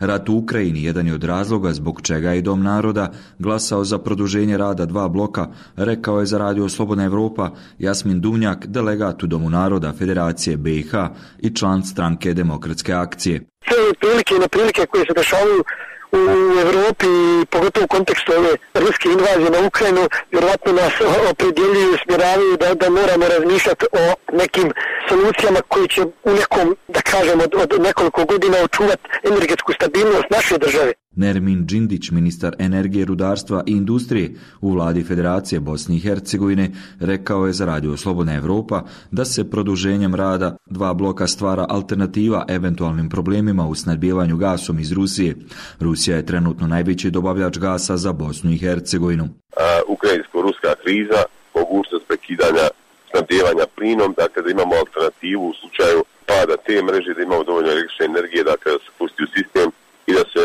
Rat u Ukrajini jedan je od razloga zbog čega je Dom naroda glasao za produženje rada dva bloka, rekao je za radio Slobodna Evropa Jasmin Duvnjak, delegat u Domu naroda Federacije be i ha i član stranke Demokratske akcije. Sve prilike i neprilike koje se dešavaju u Evropi, pogotovo u kontekstu ove ruske invazije na Ukrajinu, vjerojatno nas opredjeljuju i smjeravaju da, da moramo razmišljati o nekim solucijama koji će u nekom, da kažemo, od, od nekoliko godina očuvati energetsku stabilnost naše države. Nermin Džindić, ministar energije, rudarstva i industrije u vladi Federacije Bosne i Hercegovine, rekao je za Radio Slobodna Evropa da se produženjem rada dva bloka stvara alternativa eventualnim problemima u snabdijevanju gasom iz Rusije. Rusija je trenutno najveći dobavljač gasa za Bosnu i Hercegovinu. Ukrajinsko-ruska kriza, mogućnost prekidanja snabdijevanja plinom, dakle da imamo alternativu u slučaju pada te mreže, da imamo dovoljno električne energije, dakle da se pusti u sistem i da se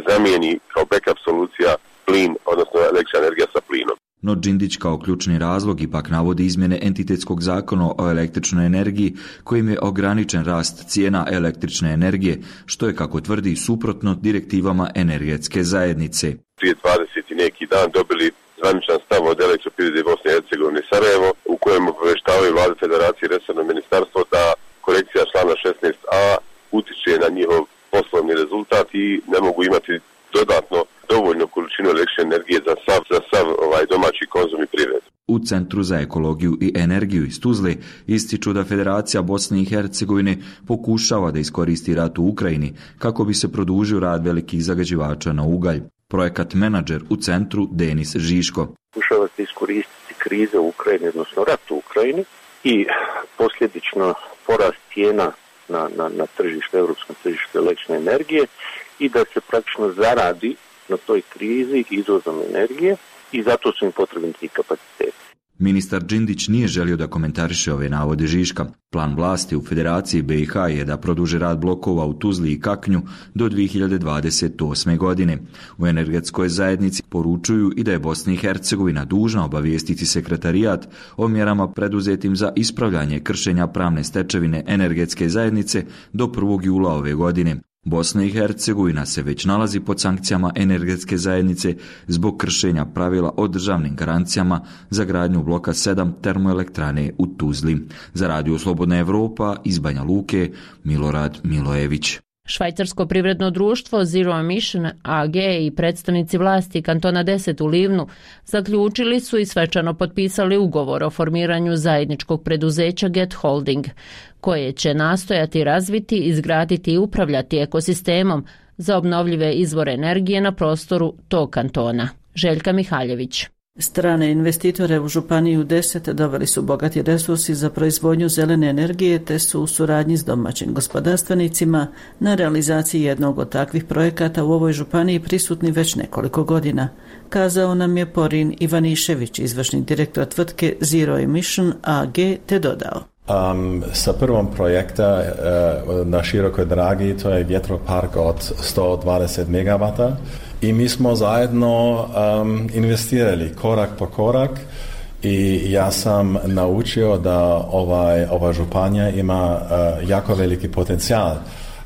zamijeni kao backup solucija plin, odnosno električna energija sa plinom. No Džindić kao ključni razlog ipak navodi izmjene entitetskog zakona o električnoj energiji kojim je ograničen rast cijena električne energije, što je, kako tvrdi, suprotno direktivama energetske zajednice. Prije dvadeset i neki dan dobili zvaničan stav od Elektroprivrede Bosne i Hercegovine Sarajevo, u kojem obavještavaju vlade Federacije i resorno ministarstvo da korekcija člana šesnaest a utiče na njihov poslovni rezultat i ne mogu imati dodatno dovoljnu količinu električne energije za sav, za sav ovaj domaći konzum i privredu. U Centru za ekologiju i energiju iz Tuzle ističu da Federacija Bosne i Hercegovine pokušava da iskoristi rat u Ukrajini kako bi se produžio rad velikih zagađivača na ugalj. Projekat menadžer u centru Denis Žiško. Pokušava se iskoristiti krize u Ukrajini, odnosno rat u Ukrajini i posljedično porast cijena na, na, na tržište, europskom tržištu električne energije i da se praktično zaradi na toj krizi izvozom energije i zato su im potrebni ti kapaciteti. Ministar Džindić nije želio da komentariše ove navode Žiška. Plan vlasti u Federaciji B i H je da produže rad blokova u Tuzli i Kaknju do dvije hiljade dvadeset osme. godine. U energetskoj zajednici poručuju i da je Bosna i Hercegovina dužna obavijestiti sekretarijat o mjerama preduzetim za ispravljanje kršenja pravne stečevine energetske zajednice do prvog jula ove godine. Bosna i Hercegovina se već nalazi pod sankcijama energetske zajednice zbog kršenja pravila o državnim garancijama za gradnju bloka sedam termoelektrane u Tuzli. Za Radio Slobodna Evropa iz Banja Luke, Milorad Milojević. Švajcarsko privredno društvo Zero Emission A G i predstavnici vlasti kantona deset u Livnu zaključili su i svečano potpisali ugovor o formiranju zajedničkog preduzeća Get Holding, koje će nastojati razviti, izgraditi i upravljati ekosistemom za obnovljive izvore energije na prostoru tog kantona. Željka Mihaljević. Strane investitore u Županiju deset doveli su bogati resursi za proizvodnju zelene energije te su u suradnji s domaćim gospodarstvenicima na realizaciji jednog od takvih projekata u ovoj županiji prisutni već nekoliko godina, kazao nam je Porin Ivanišević, izvršni direktor tvrtke Zero Emission A G, te dodao. Um, sa prvom projekta uh, na Širokoj Dragi, to je vjetropark od sto dvadeset megavata i mi smo zajedno um, investirali korak po korak i ja sam naučio da ovaj, ova županija ima uh, jako veliki potencijal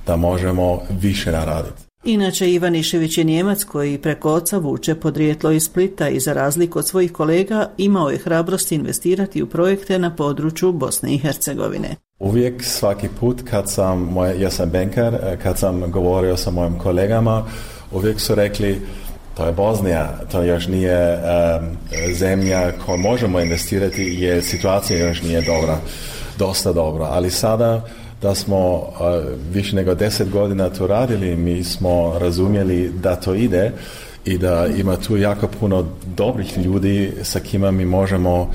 da možemo više naraditi. Inače, Ivanišević je Nijemac koji preko oca vuče podrijetlo iz Splita i za razliku od svojih kolega imao je hrabrost investirati u projekte na području Bosne i Hercegovine. Uvijek, svaki put kad sam, moj, ja sam bankar, kad sam govorio sa mojim kolegama, uvijek su rekli to je Bosnija, to još nije um, zemlja koju možemo investirati jer situacija još nije dobra, dosta dobra, ali sada da smo uh, više nego deset godina to radili, mi smo razumjeli da to ide i da ima tu jako puno dobrih ljudi sa kima mi možemo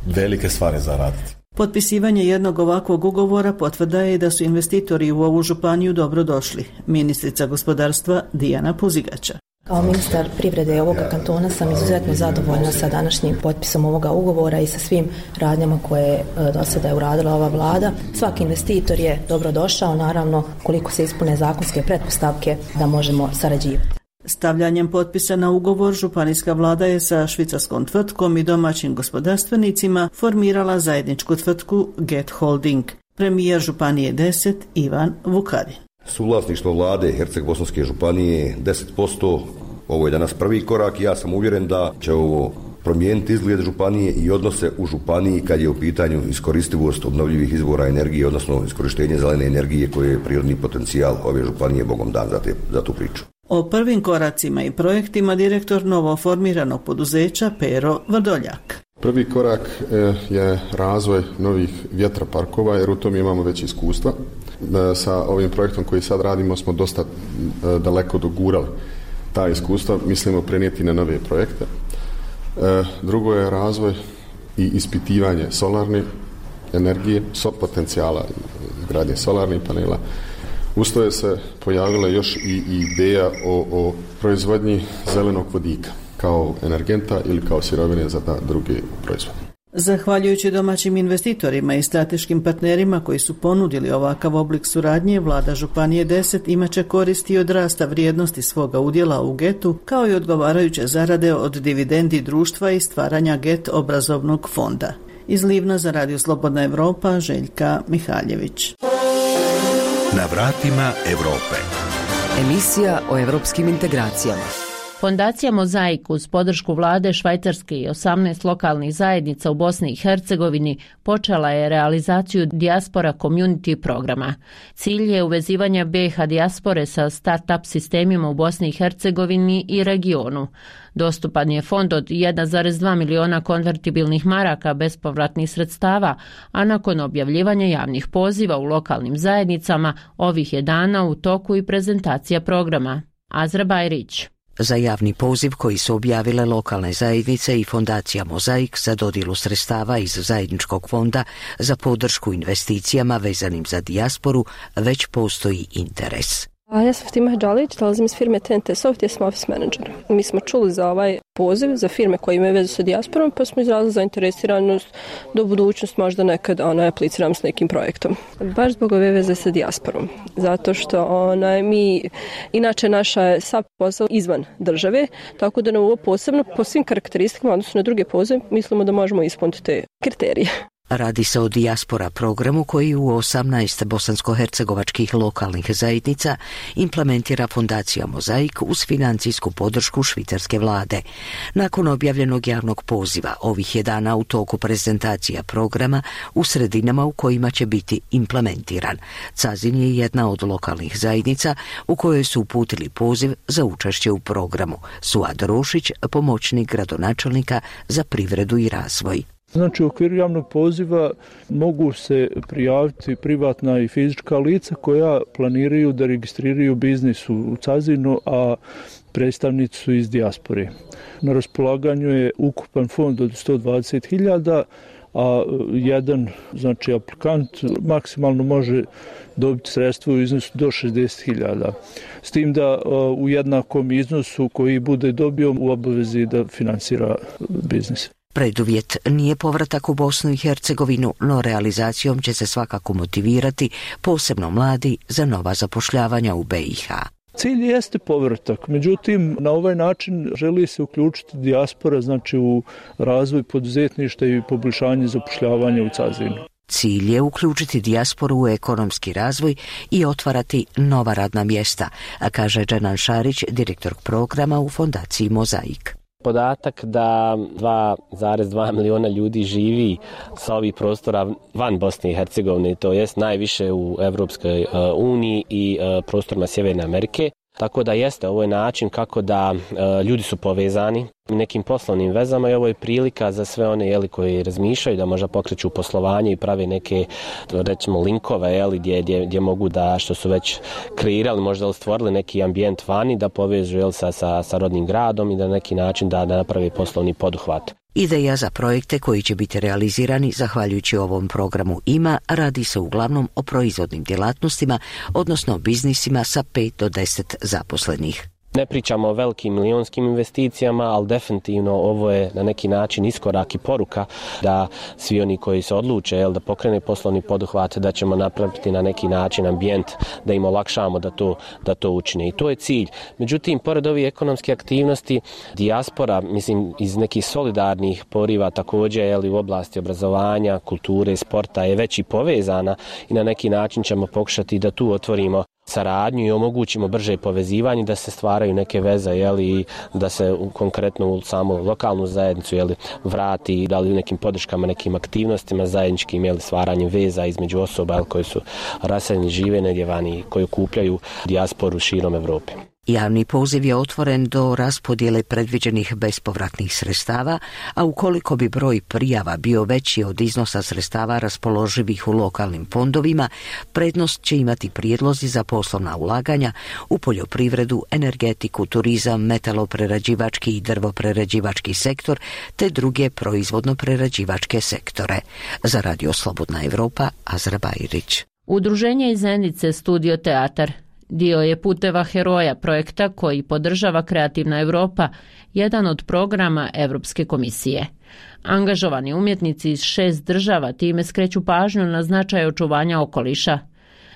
velike stvari zaraditi. Potpisivanje jednog ovakvog ugovora potvrda je da su investitori u ovu županiju dobro došli. Ministrica gospodarstva Dijana Puzigača. Kao ministar privrede ovoga kantona sam izuzetno zadovoljna sa današnjim potpisom ovoga ugovora i sa svim radnjama koje do sada je uradila ova vlada. Svaki investitor je dobro došao, naravno koliko se ispune zakonske pretpostavke da možemo sarađivati. Stavljanjem potpisa na ugovor županijska vlada je sa švicarskom tvrtkom i domaćim gospodarstvenicima formirala zajedničku tvrtku Get Holding. Premijer županije deset Ivan Vukadin. Suvlasništvo vlade Herceg-Bosanske županije deset posto, ovo je danas prvi korak i ja sam uvjeren da će ovo promijeniti izgled županije i odnose u županiji kad je u pitanju iskoristivost obnovljivih izvora energije, odnosno iskorištenje zelene energije koje je prirodni potencijal ove županije, Bogom dan za, te, za tu priču. O prvim koracima i projektima direktor novoformiranog poduzeća Pero Vrdoljak. Prvi korak je razvoj novih vjetroparkova jer u tom imamo već iskustva. Sa ovim projektom koji sad radimo smo dosta daleko dogurali ta iskustva mislimo prenijeti na nove projekte. Drugo je razvoj i ispitivanje solarne energije, potencijala izgradnje solarnih panela. Usto je se pojavila još i ideja o, o proizvodnji zelenog vodika kao energenta ili kao sirovine za ta druge proizvode. Zahvaljujući domaćim investitorima i strateškim partnerima koji su ponudili ovakav oblik suradnje, vlada Županije deset imaće koristi od rasta vrijednosti svoga udjela u getu, kao i odgovarajuće zarade od dividendi društva i stvaranja get obrazovnog fonda. Iz Livna za Radio Slobodna Evropa, Željka Mihaljević. Na vratima Evrope. Emisija o evropskim integracijama. Fondacija Mozaik uz podršku vlade Švajcarske i osamnaest lokalnih zajednica u Bosni i Hercegovini počela je realizaciju Diaspora Community programa. Cilj je uvezivanja B i H dijaspore sa start-up sistemima u Bosni i Hercegovini i regionu. Dostupan je fond od jedan zarez dva miliona konvertibilnih maraka bespovratnih sredstava, a nakon objavljivanja javnih poziva u lokalnim zajednicama ovih je dana u toku i prezentacija programa. Azra Bajrić. Za javni poziv koji su objavile lokalne zajednice i fondacija Mozaik za dodjelu sredstava iz zajedničkog fonda za podršku investicijama vezanim za dijasporu već postoji interes. A ja sam Fatima Hadžalić, dolazim iz firme T N T Soft, ja sam office manager. Mi smo čuli za ovaj poziv za firme koje imaju vezu sa dijasporom, pa smo izrazili zainteresiranost da u budućnost možda nekad ona apliciramo s nekim projektom. Baš zbog ove veze sa dijasporom, zato što ona, mi, inače naša je sav posao izvan države, tako da nam ovo posebno po svim karakteristikama, odnosno na druge pozive, mislimo da možemo ispuniti te kriterije. Radi se o dijaspora programu koji u osamnaest bosansko-hercegovačkih lokalnih zajednica implementira fondacija Mozaik uz financijsku podršku švicarske vlade. Nakon objavljenog javnog poziva, ovih je dana u toku prezentacija programa u sredinama u kojima će biti implementiran. Cazin je jedna od lokalnih zajednica u kojoj su uputili poziv za učešće u programu. Suad Rošić, pomoćnik gradonačelnika za privredu i razvoj. Znači, u okviru javnog poziva mogu se prijaviti privatna i fizička lica koja planiraju da registriraju biznis u Cazinu, a predstavnici su iz dijaspore. Na raspolaganju je ukupan fond od sto dvadeset hiljada, a jedan, znači, aplikant maksimalno može dobiti sredstvo u iznosu do šezdeset hiljada. S tim da u jednakom iznosu koji bude dobio u obavezi da finansira biznis. Preduvjet nije povratak u Bosnu i Hercegovinu, no realizacijom će se svakako motivirati posebno mladi za nova zapošljavanja u B i H. Cilj jeste povratak, međutim na ovaj način želi se uključiti dijaspora, znači u razvoj poduzetništva i poboljšanje zapošljavanja u Cazinu. Cilj je uključiti dijasporu u ekonomski razvoj i otvarati nova radna mjesta, a kaže Dženan Šarić, direktor programa u fondaciji Mozaik. Podatak da dva zarez dva miliona ljudi živi sa ovih prostora van Bosne i Hercegovine, to jest najviše u Evropskoj uniji i prostorima Sjeverne Amerike. Tako da jeste, ovo je način kako da e, ljudi su povezani nekim poslovnim vezama i ovo je prilika za sve one jeli, koji razmišljaju da možda pokreću poslovanje i prave neke, recimo, linkove jeli, gdje, gdje, gdje mogu da, što su već kreirali, možda stvorili neki ambijent vani, da povežu jeli, sa, sa, sa rodnim gradom i da na neki način da, da naprave poslovni poduhvat. Ideja za projekte koji će biti realizirani zahvaljujući ovom programu ima, radi se uglavnom o proizvodnim djelatnostima, odnosno biznisima sa pet do deset zaposlenih. Ne pričamo o velikim milionskim investicijama, ali definitivno ovo je na neki način iskorak i poruka da svi oni koji se odluče jel, da pokrene poslovni poduhvat, da ćemo napraviti na neki način ambijent, da im olakšamo da to, da to učine. I to je cilj. Međutim, pored ovih ekonomske aktivnosti, dijaspora, mislim, iz nekih solidarnih poriva također jel, u oblasti obrazovanja, kulture, sporta je već i povezana i na neki način ćemo pokušati da tu otvorimo saradnju i omogućimo brže povezivanje, da se stvaraju neke veze jeli, i da se konkretno u samu lokalnu zajednicu jeli, vrati, da li u nekim podrškama, nekim aktivnostima zajedničkim jeli, stvaranjem veza između osoba jeli, koji su raseljeni, žive negdje vani, koji okupljaju dijasporu širom Evrope. Javni poziv je otvoren do raspodjele predviđenih bespovratnih sredstava, a ukoliko bi broj prijava bio veći od iznosa sredstava raspoloživih u lokalnim fondovima, prednost će imati prijedlozi za poslovna ulaganja u poljoprivredu, energetiku, turizam, metaloprerađivački i drvoprerađivački sektor te druge proizvodno-prerađivačke sektore. Za Radio Slobodna Evropa, Azra Bajrić. Udruženje iz Zenice Studio Teatar dio je Puteva heroja projekta koji podržava Kreativna Europa, jedan od programa Europske komisije. Angažovani umjetnici iz šest država time skreću pažnju na značaj očuvanja okoliša.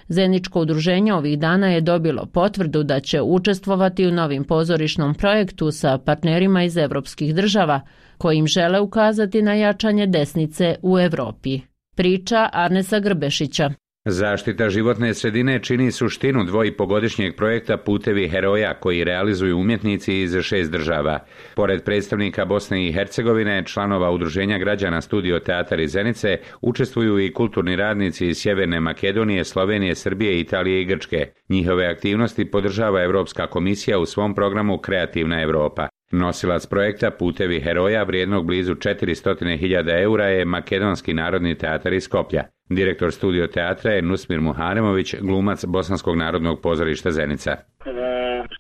Zeničko udruženje ovih dana je dobilo potvrdu da će učestvovati u novim pozorišnom projektu sa partnerima iz evropskih država, kojim žele ukazati na jačanje desnice u Europi. Priča Arnesa Grbešića. Zaštita životne sredine čini suštinu dvojipogodišnjeg projekta Putevi heroja koji realizuju umjetnici iz šest država. Pored predstavnika Bosne i Hercegovine, članova Udruženja građana Studio Teatar iz Zenice, učestvuju i kulturni radnici iz Sjeverne Makedonije, Slovenije, Srbije, Italije i Grčke. Njihove aktivnosti podržava Europska komisija u svom programu Kreativna Europa. Nosilac projekta Putevi heroja vrijednog blizu četiristo hiljada eura je Makedonski narodni teatar iz Skoplja. Direktor Studio Teatra je Nusmir Muharemović, glumac Bosanskog narodnog pozorišta Zenica. U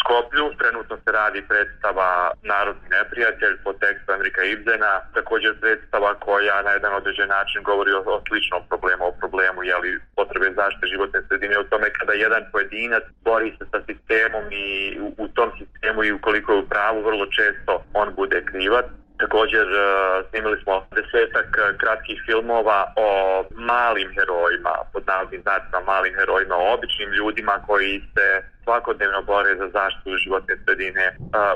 Skoplju trenutno se radi predstava Narodni neprijatelj po tekstu Enrika Ibsena, također predstava koja na jedan određen način govori o, o sličnom problemu, o problemu jeli, potrebe zaštite životne sredine, o tome kada jedan pojedinac bori se sa sistemom i u, u tom sistemu i ukoliko je u pravu vrlo često on bude krivac. Također snimili smo desetak kratkih filmova o malim herojima, pod navodnim znacima malim herojima, o običnim ljudima koji se svakodnevno bore za zaštitu životne sredine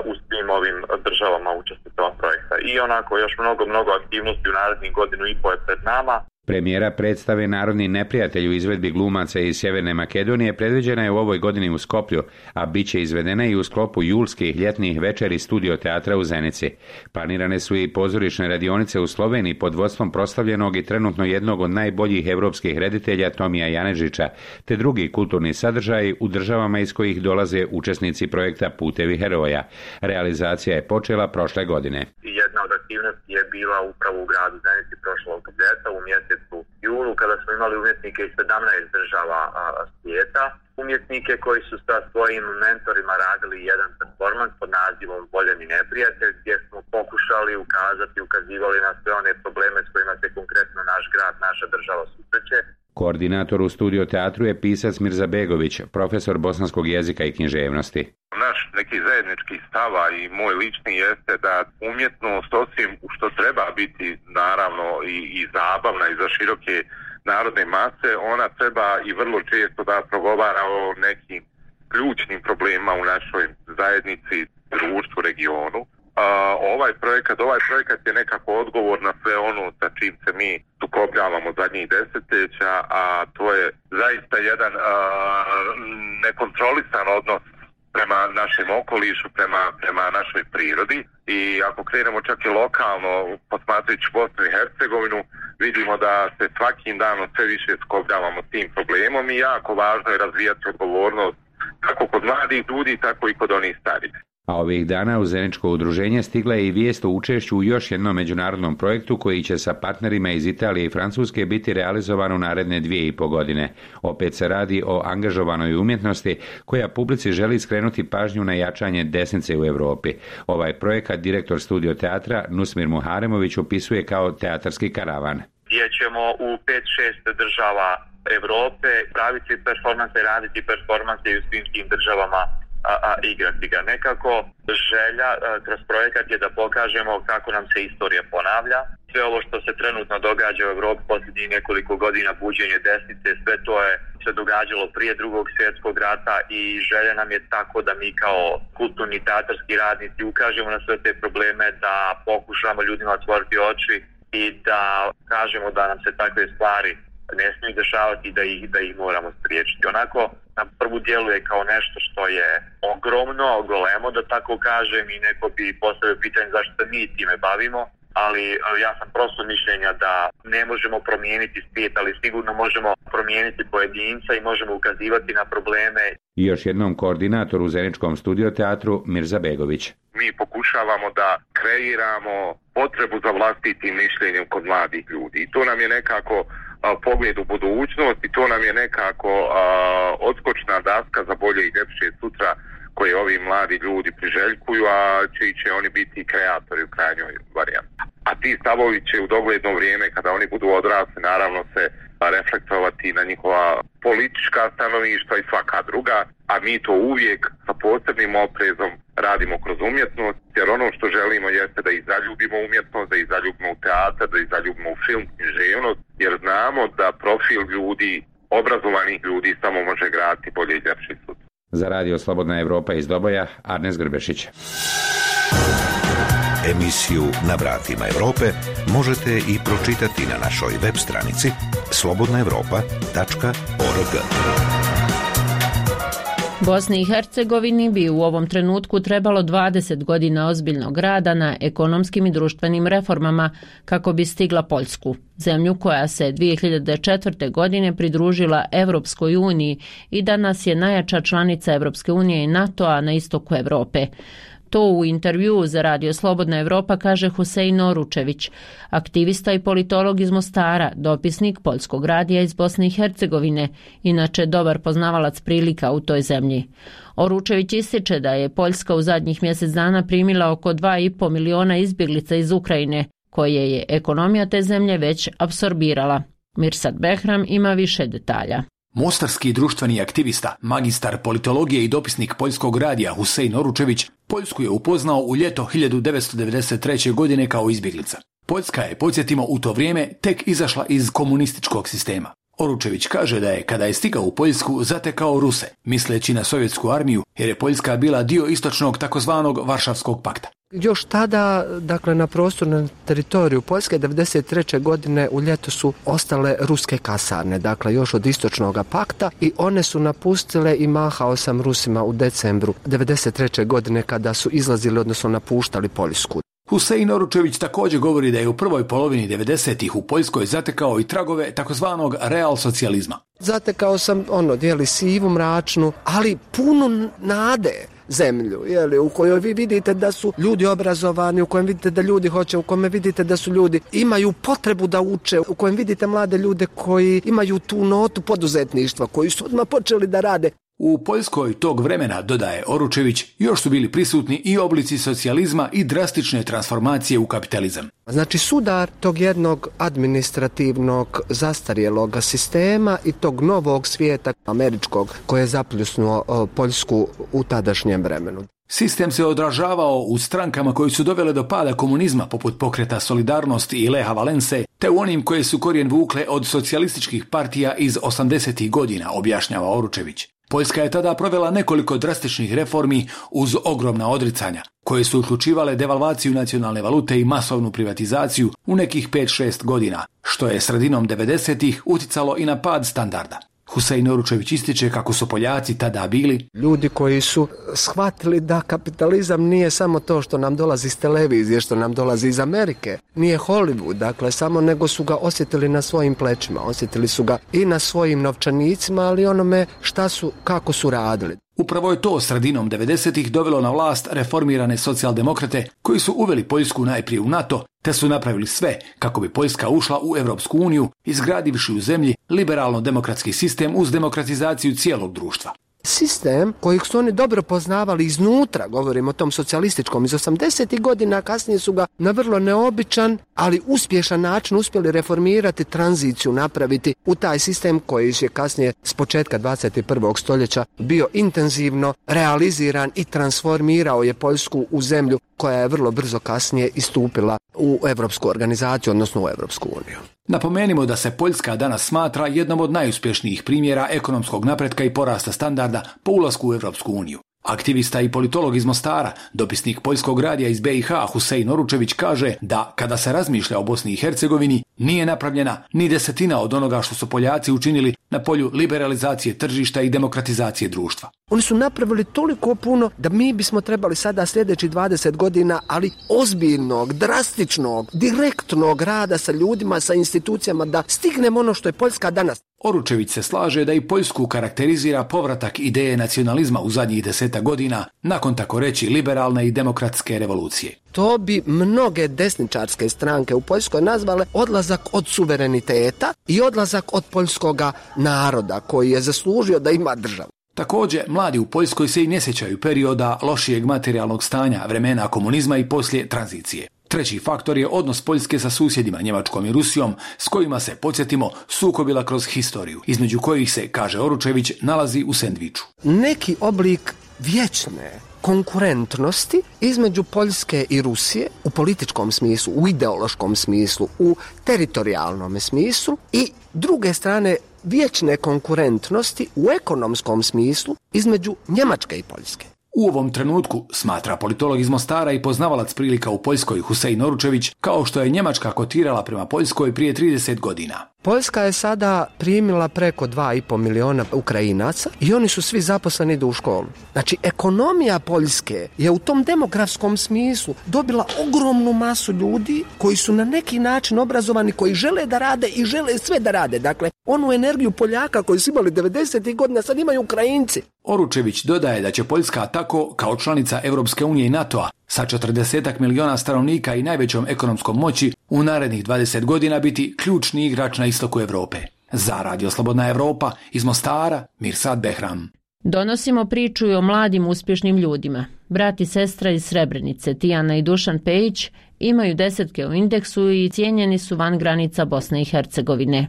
u svim ovim državama učesnicama projekta. I onako još mnogo, mnogo aktivnosti u narednih godinu i po je pred nama. Premijera predstave Narodni neprijatelj u izvedbi glumaca iz Sjeverne Makedonije predviđena je u ovoj godini u Skoplju, a bit će izvedena i u sklopu julskih ljetnih večeri Studio Teatra u Zenici. Planirane su i pozorišne radionice u Sloveniji pod vodstvom proslavljenog i trenutno jednog od najboljih evropskih reditelja Tomija Janežića, te drugi kulturni sadržaji u državama iz kojih dolaze učesnici projekta Putevi heroja. Realizacija je počela prošle godine. Jedna od aktivnosti je bila upravo u gradu Zenici prošlog ljeta u mjesecu julu kada smo imali umjetnike iz sedamnaest država a, svijeta. Umjetnike koji su sa svojim mentorima radili jedan performans pod nazivom Voljeni neprijatelj, gdje smo pokušali ukazati, ukazivali na sve one probleme s kojima se konkretno naš grad, naša država susreće. Koordinator u Studio Teatru je pisac Mirza Begović, profesor bosanskog jezika i književnosti. Naš neki zajednički stava i moj lični jeste da umjetnost, osim što treba biti naravno i, i zabavna i za široke narodne mase, ona treba i vrlo često da progovara o nekim ključnim problemima u našoj zajednici, društvu, regionu. A, ovaj projekat, ovaj projekat je nekako odgovor na sve ono sa čim se mi sukobljavamo zadnjih desetljeća, a to je zaista jedan a, nekontrolisan odnos prema našem okolišu, prema, prema našoj prirodi. I ako krenemo čak i lokalno, posmatrajući Bosnu i Hercegovinu, vidimo da se svakim danom sve više skobljavamo s tim problemom i jako važno je razvijati odgovornost kako kod mladih ljudi, tako i kod onih starih. A ovih dana u Zeničko udruženje stigla je i vijest o učešću u još jednom međunarodnom projektu koji će sa partnerima iz Italije i Francuske biti realizovan u naredne dvije i po godine. Opet se radi o angažovanoj umjetnosti koja publici želi skrenuti pažnju na jačanje desnice u Europi. Ovaj projekat direktor Studio Teatra Nusmir Muharemović opisuje kao teatarski karavan. Gdje ćemo u pet šest država Europe praviti performanse, raditi performanse i u svim tim državama A, a igrati ga. Nekako želja a, kroz projekat je da pokažemo kako nam se istorija ponavlja. Sve ovo što se trenutno događa u Evropi posljednjih nekoliko godina, buđenje desnice, sve to je se događalo prije drugog svjetskog rata i želja nam je tako da mi kao kulturni teatarski radnici ukažemo na sve te probleme, da pokušamo ljudima otvoriti oči i da kažemo da nam se takve stvari ne smiju dešavati i da ih, da ih moramo spriječiti. Onako, na prvu djeluje kao nešto što je ogromno, golemo, da tako kažem, i neko bi postavio pitanje zašto se mi time bavimo. ali ja sam prosto mišljenja da ne možemo promijeniti svijet, ali sigurno možemo promijeniti pojedinca i možemo ukazivati na probleme. I još jednom koordinator u Zeničkom studio teatru Mirza Begović. Mi pokušavamo da kreiramo potrebu za vlastitim mišljenjem kod mladih ljudi. I to nam je nekako a, pogled u budućnost i to nam je nekako a, odskočna daska za bolje i ljepše sutra koje ovi mladi ljudi priželjkuju, a čiji će oni biti kreatori u krajnjoj varijanti. A ti stavovi će u dogledno vrijeme, kada oni budu odrasli, naravno se reflektovati na njihova politička stanovišta i svaka druga, a mi to uvijek sa posebnim oprezom radimo kroz umjetnost, jer ono što želimo jeste da i zaljubimo umjetnost, da i zaljubimo u teatar, da i zaljubimo u film, književnost, jer znamo da profil ljudi, obrazovanih ljudi samo može graditi bolje i ljepši sud. Za radio Slobodna Evropa iz Doboja, Arnes Grbešić. Emisiju Na vratima Evrope možete i pročitati na našoj web stranici slobodna evropa tačka org. Bosni i Hercegovini bi u ovom trenutku trebalo dvadeset godina ozbiljnog rada na ekonomskim i društvenim reformama kako bi stigla Poljsku, zemlju koja se dvije hiljade četvrte. godine pridružila Evropskoj uniji i danas je najjača članica Evropske unije i NATO-a na istoku Evrope. To u intervjuu za radio Slobodna Evropa kaže Husein Oručević, aktivista i politolog iz Mostara, dopisnik Poljskog radija iz Bosne i Hercegovine, inače dobar poznavalac prilika u toj zemlji. Oručević ističe da je Poljska u zadnjih mjesec dana primila oko dva i pol miliona izbjeglica iz Ukrajine, koje je ekonomija te zemlje već apsorbirala. Mirsad Behram ima više detalja. Mostarski društveni aktivista, magistar politologije i dopisnik Poljskog radija Husein Oručević Poljsku je upoznao u ljeto hiljadu devetsto devedeset treće. godine kao izbjeglica. Poljska je, podsjetimo, u to vrijeme tek izašla iz komunističkog sistema. Oručević kaže da je, kada je stigao u Poljsku, zatekao Ruse, misleći na sovjetsku armiju, jer je Poljska bila dio istočnog takozvanog Varšavskog pakta. Još tada, dakle, na prostornom teritoriju Poljske devedeset treće. godine u ljeto su ostale ruske kasarne, dakle još od istočnog pakta, i one su napustile i mahao sam Rusima u decembru devedeset treće. godine kada su izlazili, odnosno napuštali Poljsku. Husein Oručević također govori da je u prvoj polovini devedesetih u Poljskoj zatekao i tragove takozvanog real socijalizma. Zatekao sam ono, dijeli sivu, mračnu, ali puno nade zemlju, jeli, u kojoj vi vidite da su ljudi obrazovani, u kojem vidite da ljudi hoće, u kojem vidite da su ljudi imaju potrebu da uče, u kojem vidite mlade ljude koji imaju tu notu poduzetništva, koji su odmah počeli da rade. U Poljskoj tog vremena, dodaje Oručević, još su bili prisutni i oblici socijalizma i drastične transformacije u kapitalizam. Znači sudar tog jednog administrativnog zastarjelog sistema i tog novog svijeta američkog koje je zapljusnuo Poljsku u tadašnjem vremenu. Sistem se odražavao u strankama koji su dovele do pada komunizma, poput pokreta Solidarnosti i Leha Valense, te u onim koje su korijen vukle od socijalističkih partija iz osamdesetih godina, objašnjava Oručević. Poljska je tada provela nekoliko drastičnih reformi uz ogromna odricanja, koje su uključivale devalvaciju nacionalne valute i masovnu privatizaciju u nekih pet šest godina, što je sredinom devedesetih uticalo i na pad standarda. Husein Oručević ističe kako su Poljaci tada bili ljudi koji su shvatili da kapitalizam nije samo to što nam dolazi iz televizije, što nam dolazi iz Amerike, nije Hollywood, dakle samo, nego su ga osjetili na svojim plećima, osjetili su ga i na svojim novčanicima, ali onome šta su, kako su radili. Upravo je to sredinom devedesetih dovelo na vlast reformirane socijaldemokrate koji su uveli Poljsku najprije u NATO, te su napravili sve kako bi Poljska ušla u Evropsku uniju, izgradivši u zemlji liberalno-demokratski sistem uz demokratizaciju cijelog društva. Sistem kojeg su oni dobro poznavali iznutra, govorimo o tom socijalističkom iz osamdesetih godina, kasnije su ga na vrlo neobičan, ali uspješan način uspjeli reformirati, tranziciju napraviti u taj sistem koji je kasnije s početka dvadeset prvog stoljeća bio intenzivno realiziran i transformirao je Poljsku u zemlju koja je vrlo brzo kasnije istupila u Evropsku organizaciju, odnosno u Evropsku uniju. Napomenimo da se Poljska danas smatra jednom od najuspješnijih primjera ekonomskog napretka i porasta standarda po ulasku u Evropsku uniju. Aktivista i politolog iz Mostara, dopisnik Poljskog radija iz B i H Husein Oručević kaže da kada se razmišlja o Bosni i Hercegovini nije napravljena ni desetina od onoga što su Poljaci učinili na polju liberalizacije tržišta i demokratizacije društva. Oni su napravili toliko puno da mi bismo trebali sada sljedećih dvadeset godina, ali ozbiljnog, drastičnog, direktnog rada sa ljudima, sa institucijama, da stignemo ono što je Poljska danas. Oručević se slaže da i Poljsku karakterizira povratak ideje nacionalizma u zadnjih desetak godina, nakon tako reći liberalne i demokratske revolucije. To bi mnoge desničarske stranke u Poljskoj nazvale odlazak od suvereniteta i odlazak od poljskoga naroda koji je zaslužio da ima državu. Također, mladi u Poljskoj se i ne sjećaju perioda lošijeg materijalnog stanja, vremena komunizma i poslije tranzicije. Treći faktor je odnos Poljske sa susjedima Njemačkom i Rusijom, s kojima se, podsjetimo, sukobila kroz historiju, između kojih se, kaže Oručević, nalazi u sendviču. Neki oblik vječne konkurentnosti između Poljske i Rusije u političkom smislu, u ideološkom smislu, u teritorijalnom smislu i druge strane vječne konkurentnosti u ekonomskom smislu između Njemačke i Poljske. U ovom trenutku, smatra politolog iz Mostara i poznavalac prilika u Poljskoj Husein Oručević, kao što je Njemačka kotirala prema Poljskoj prije trideset godina. Poljska je sada primila preko dva i pol miliona Ukrajinaca i oni su svi zaposleni, idu u školu. Znači, ekonomija Poljske je u tom demografskom smislu dobila ogromnu masu ljudi koji su na neki način obrazovani, koji žele da rade i žele sve da rade. Dakle, onu energiju Poljaka koji su imali devedesetih godina sad imaju Ukrajinci. Oručević dodaje da će Poljska tako, kao članica Europske unije i NATO-a, sa četrdesetak miliona stanovnika i najvećom ekonomskom moći, u narednih dvadeset godina biti ključni igrač na istoku Europe. Za Radio Slobodna Europa, iz Mostara, Mirsad Behram. Donosimo priču i o mladim uspješnim ljudima. Brat i sestra iz Srebrenice, Tijana i Dušan Pejić, imaju desetke u indeksu i cijenjeni su van granica Bosne i Hercegovine.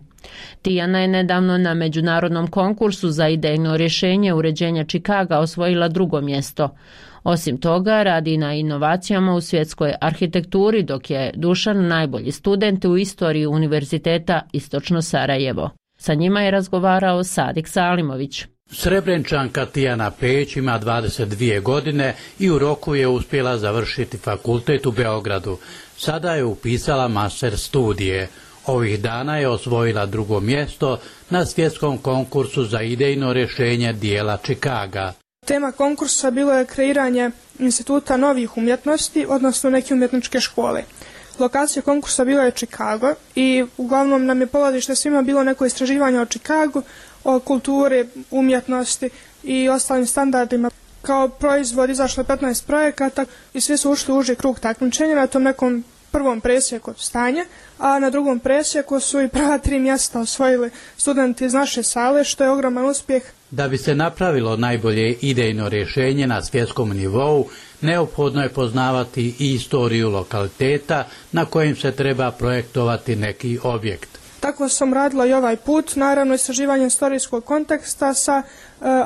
Tijana je nedavno na međunarodnom konkursu za idejno rješenje uređenja Čikaga osvojila drugo mjesto. Osim toga, radi na inovacijama u svjetskoj arhitekturi, dok je Dušan najbolji student u istoriji Univerziteta Istočno Sarajevo. Sa njima je razgovarao Sadik Salimović. Srebrenčanka Tijana Pejić ima dvadeset dvije godine i u roku je uspjela završiti fakultet u Beogradu. Sada je upisala master studije. Ovih dana je osvojila drugo mjesto na svjetskom konkursu za idejno rješenje dijela Čikaga. Tema konkursa bilo je kreiranje instituta novih umjetnosti, odnosno neke umjetničke škole. Lokacija konkursa bila je Čikago i uglavnom nam je polazište svima bilo neko istraživanje o Čikagu, o kulturi, umjetnosti i ostalim standardima. Kao proizvod izašlo je petnaest projekata i svi su ušli u uži krug takmičenja na tom nekom prvom presjeku stanja, a na drugom presjeku su i prva tri mjesta osvojili studenti iz naše sale, što je ogroman uspjeh. Da bi se napravilo najbolje idejno rješenje na svjetskom nivou, neophodno je poznavati i istoriju lokaliteta na kojem se treba projektovati neki objekt. Tako sam radila i ovaj put, naravno istraživanje istorijskog konteksta sa e,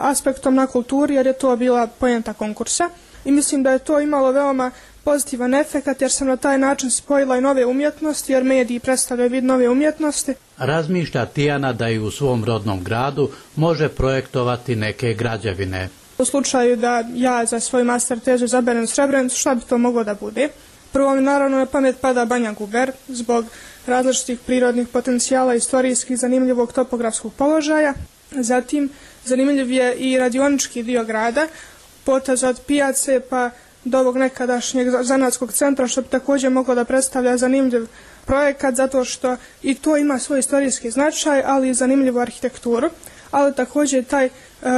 aspektom na kulturi, jer je to bila poenta konkursa. I mislim da je to imalo veoma pozitivan efekt, jer sam na taj način spojila i nove umjetnosti, jer mediji predstavljaju vid nove umjetnosti. Razmišlja Tijana da i u svom rodnom gradu može projektovati neke građevine. U slučaju da ja za svoj master tezu izaberem Srebrenicu, šta bi to moglo da bude? Prvo mi naravno na pamet pada Banja Guber, zbog različitih prirodnih potencijala, istorijskih, zanimljivog topografskog položaja. Zatim, zanimljiv je i radionički dio grada, potez od pijace pa do ovog nekadašnjeg zanatskog centra, što bi također moglo da predstavlja zanimljiv projekat, zato što i to ima svoj istorijski značaj, ali i zanimljivu arhitekturu, ali također taj e,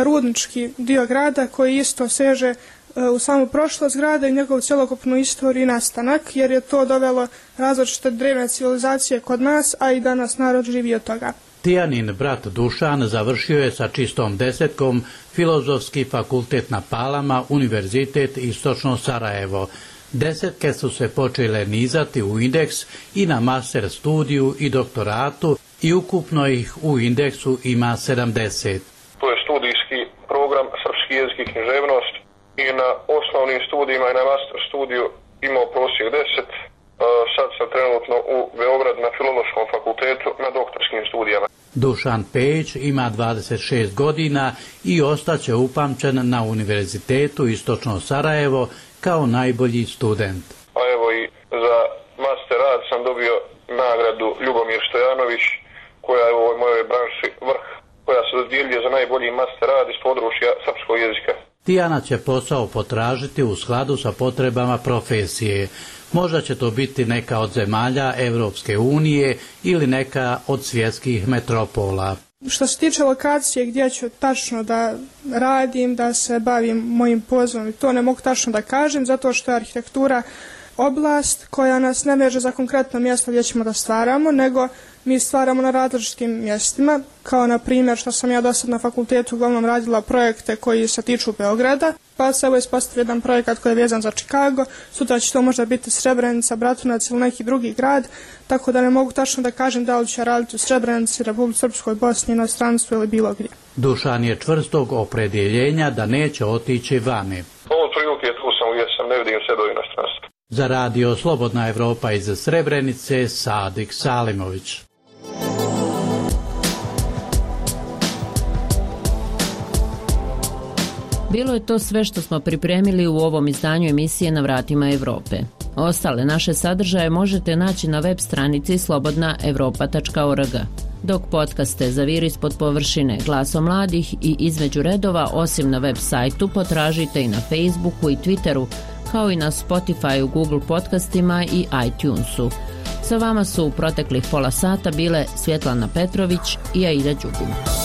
rudnički dio grada koji isto seže e, u samu prošlost grada i njegovu cjelokupnu istoriju i nastanak, jer je to dovelo različite drevne civilizacije kod nas, a i danas narod živi od toga. Tijanin brat Dušan završio je sa čistom desetkom Filozofski fakultet na Palama, Univerzitet Istočno Sarajevo. Desetke su se počele nizati u indeks i na master studiju i doktoratu i ukupno ih u indeksu ima sedamdeset. To je studijski program srpski jezik i književnost i na osnovnim studijima i na master studiju imao prosjek deset. Sad sam trenutno u Beogradu na Filološkom fakultetu na doktorskim studijama. Dušan Pejić ima dvadeset šest godina i ostaće upamćen na Univerzitetu Istočno Sarajevo kao najbolji student. A evo i za master rad sam dobio nagradu Ljubomir Stojanović, koja je u ovoj mojoj branši vrh, koja Tijana će posao potražiti u skladu sa potrebama profesije. Možda će to biti neka od zemalja Evropske unije ili neka od svjetskih metropola. Što se tiče lokacije gdje ću tačno da radim, da se bavim mojim pozivom, to ne mogu tačno da kažem, zato što je arhitektura oblast koja nas ne veže za konkretno mjesto gdje ćemo da stvaramo, nego mi stvaramo na različitim mjestima, kao na primjer što sam ja do sad na fakultetu uglavnom radila projekte koji se tiču Beograda, pa se evo ispostavio jedan projekat koji je vezan za Chicago, sutra će to možda biti Srebrenica, Bratunac ili neki drugi grad, tako da ne mogu tačno da kažem da li će raditi u Srebrenici, Republici Srpskoj, Bosni, inostranstvu ili bilo gdje. Dušan je čvrstog opredjeljenja da neće otići vani. Ovo prilike tu sam gdje sam, ne vidim se do inostranstva. Za radio Slobodna Evropa iz Srebrenice, Sadik Salimović. Bilo je to sve što smo pripremili u ovom izdanju emisije Na vratima Evrope. Ostale naše sadržaje možete naći na web stranici slobodna evropa tačka org. Dok podcaste Zaviri ispod površine, Glasom mladih i Između redova, osim na web sajtu, potražite i na Facebooku i Twitteru, kao i na Spotifyu, Google podcastima i iTunesu. Sa vama su u proteklih pola sata bile Svjetlana Petrović i Aida Đugum.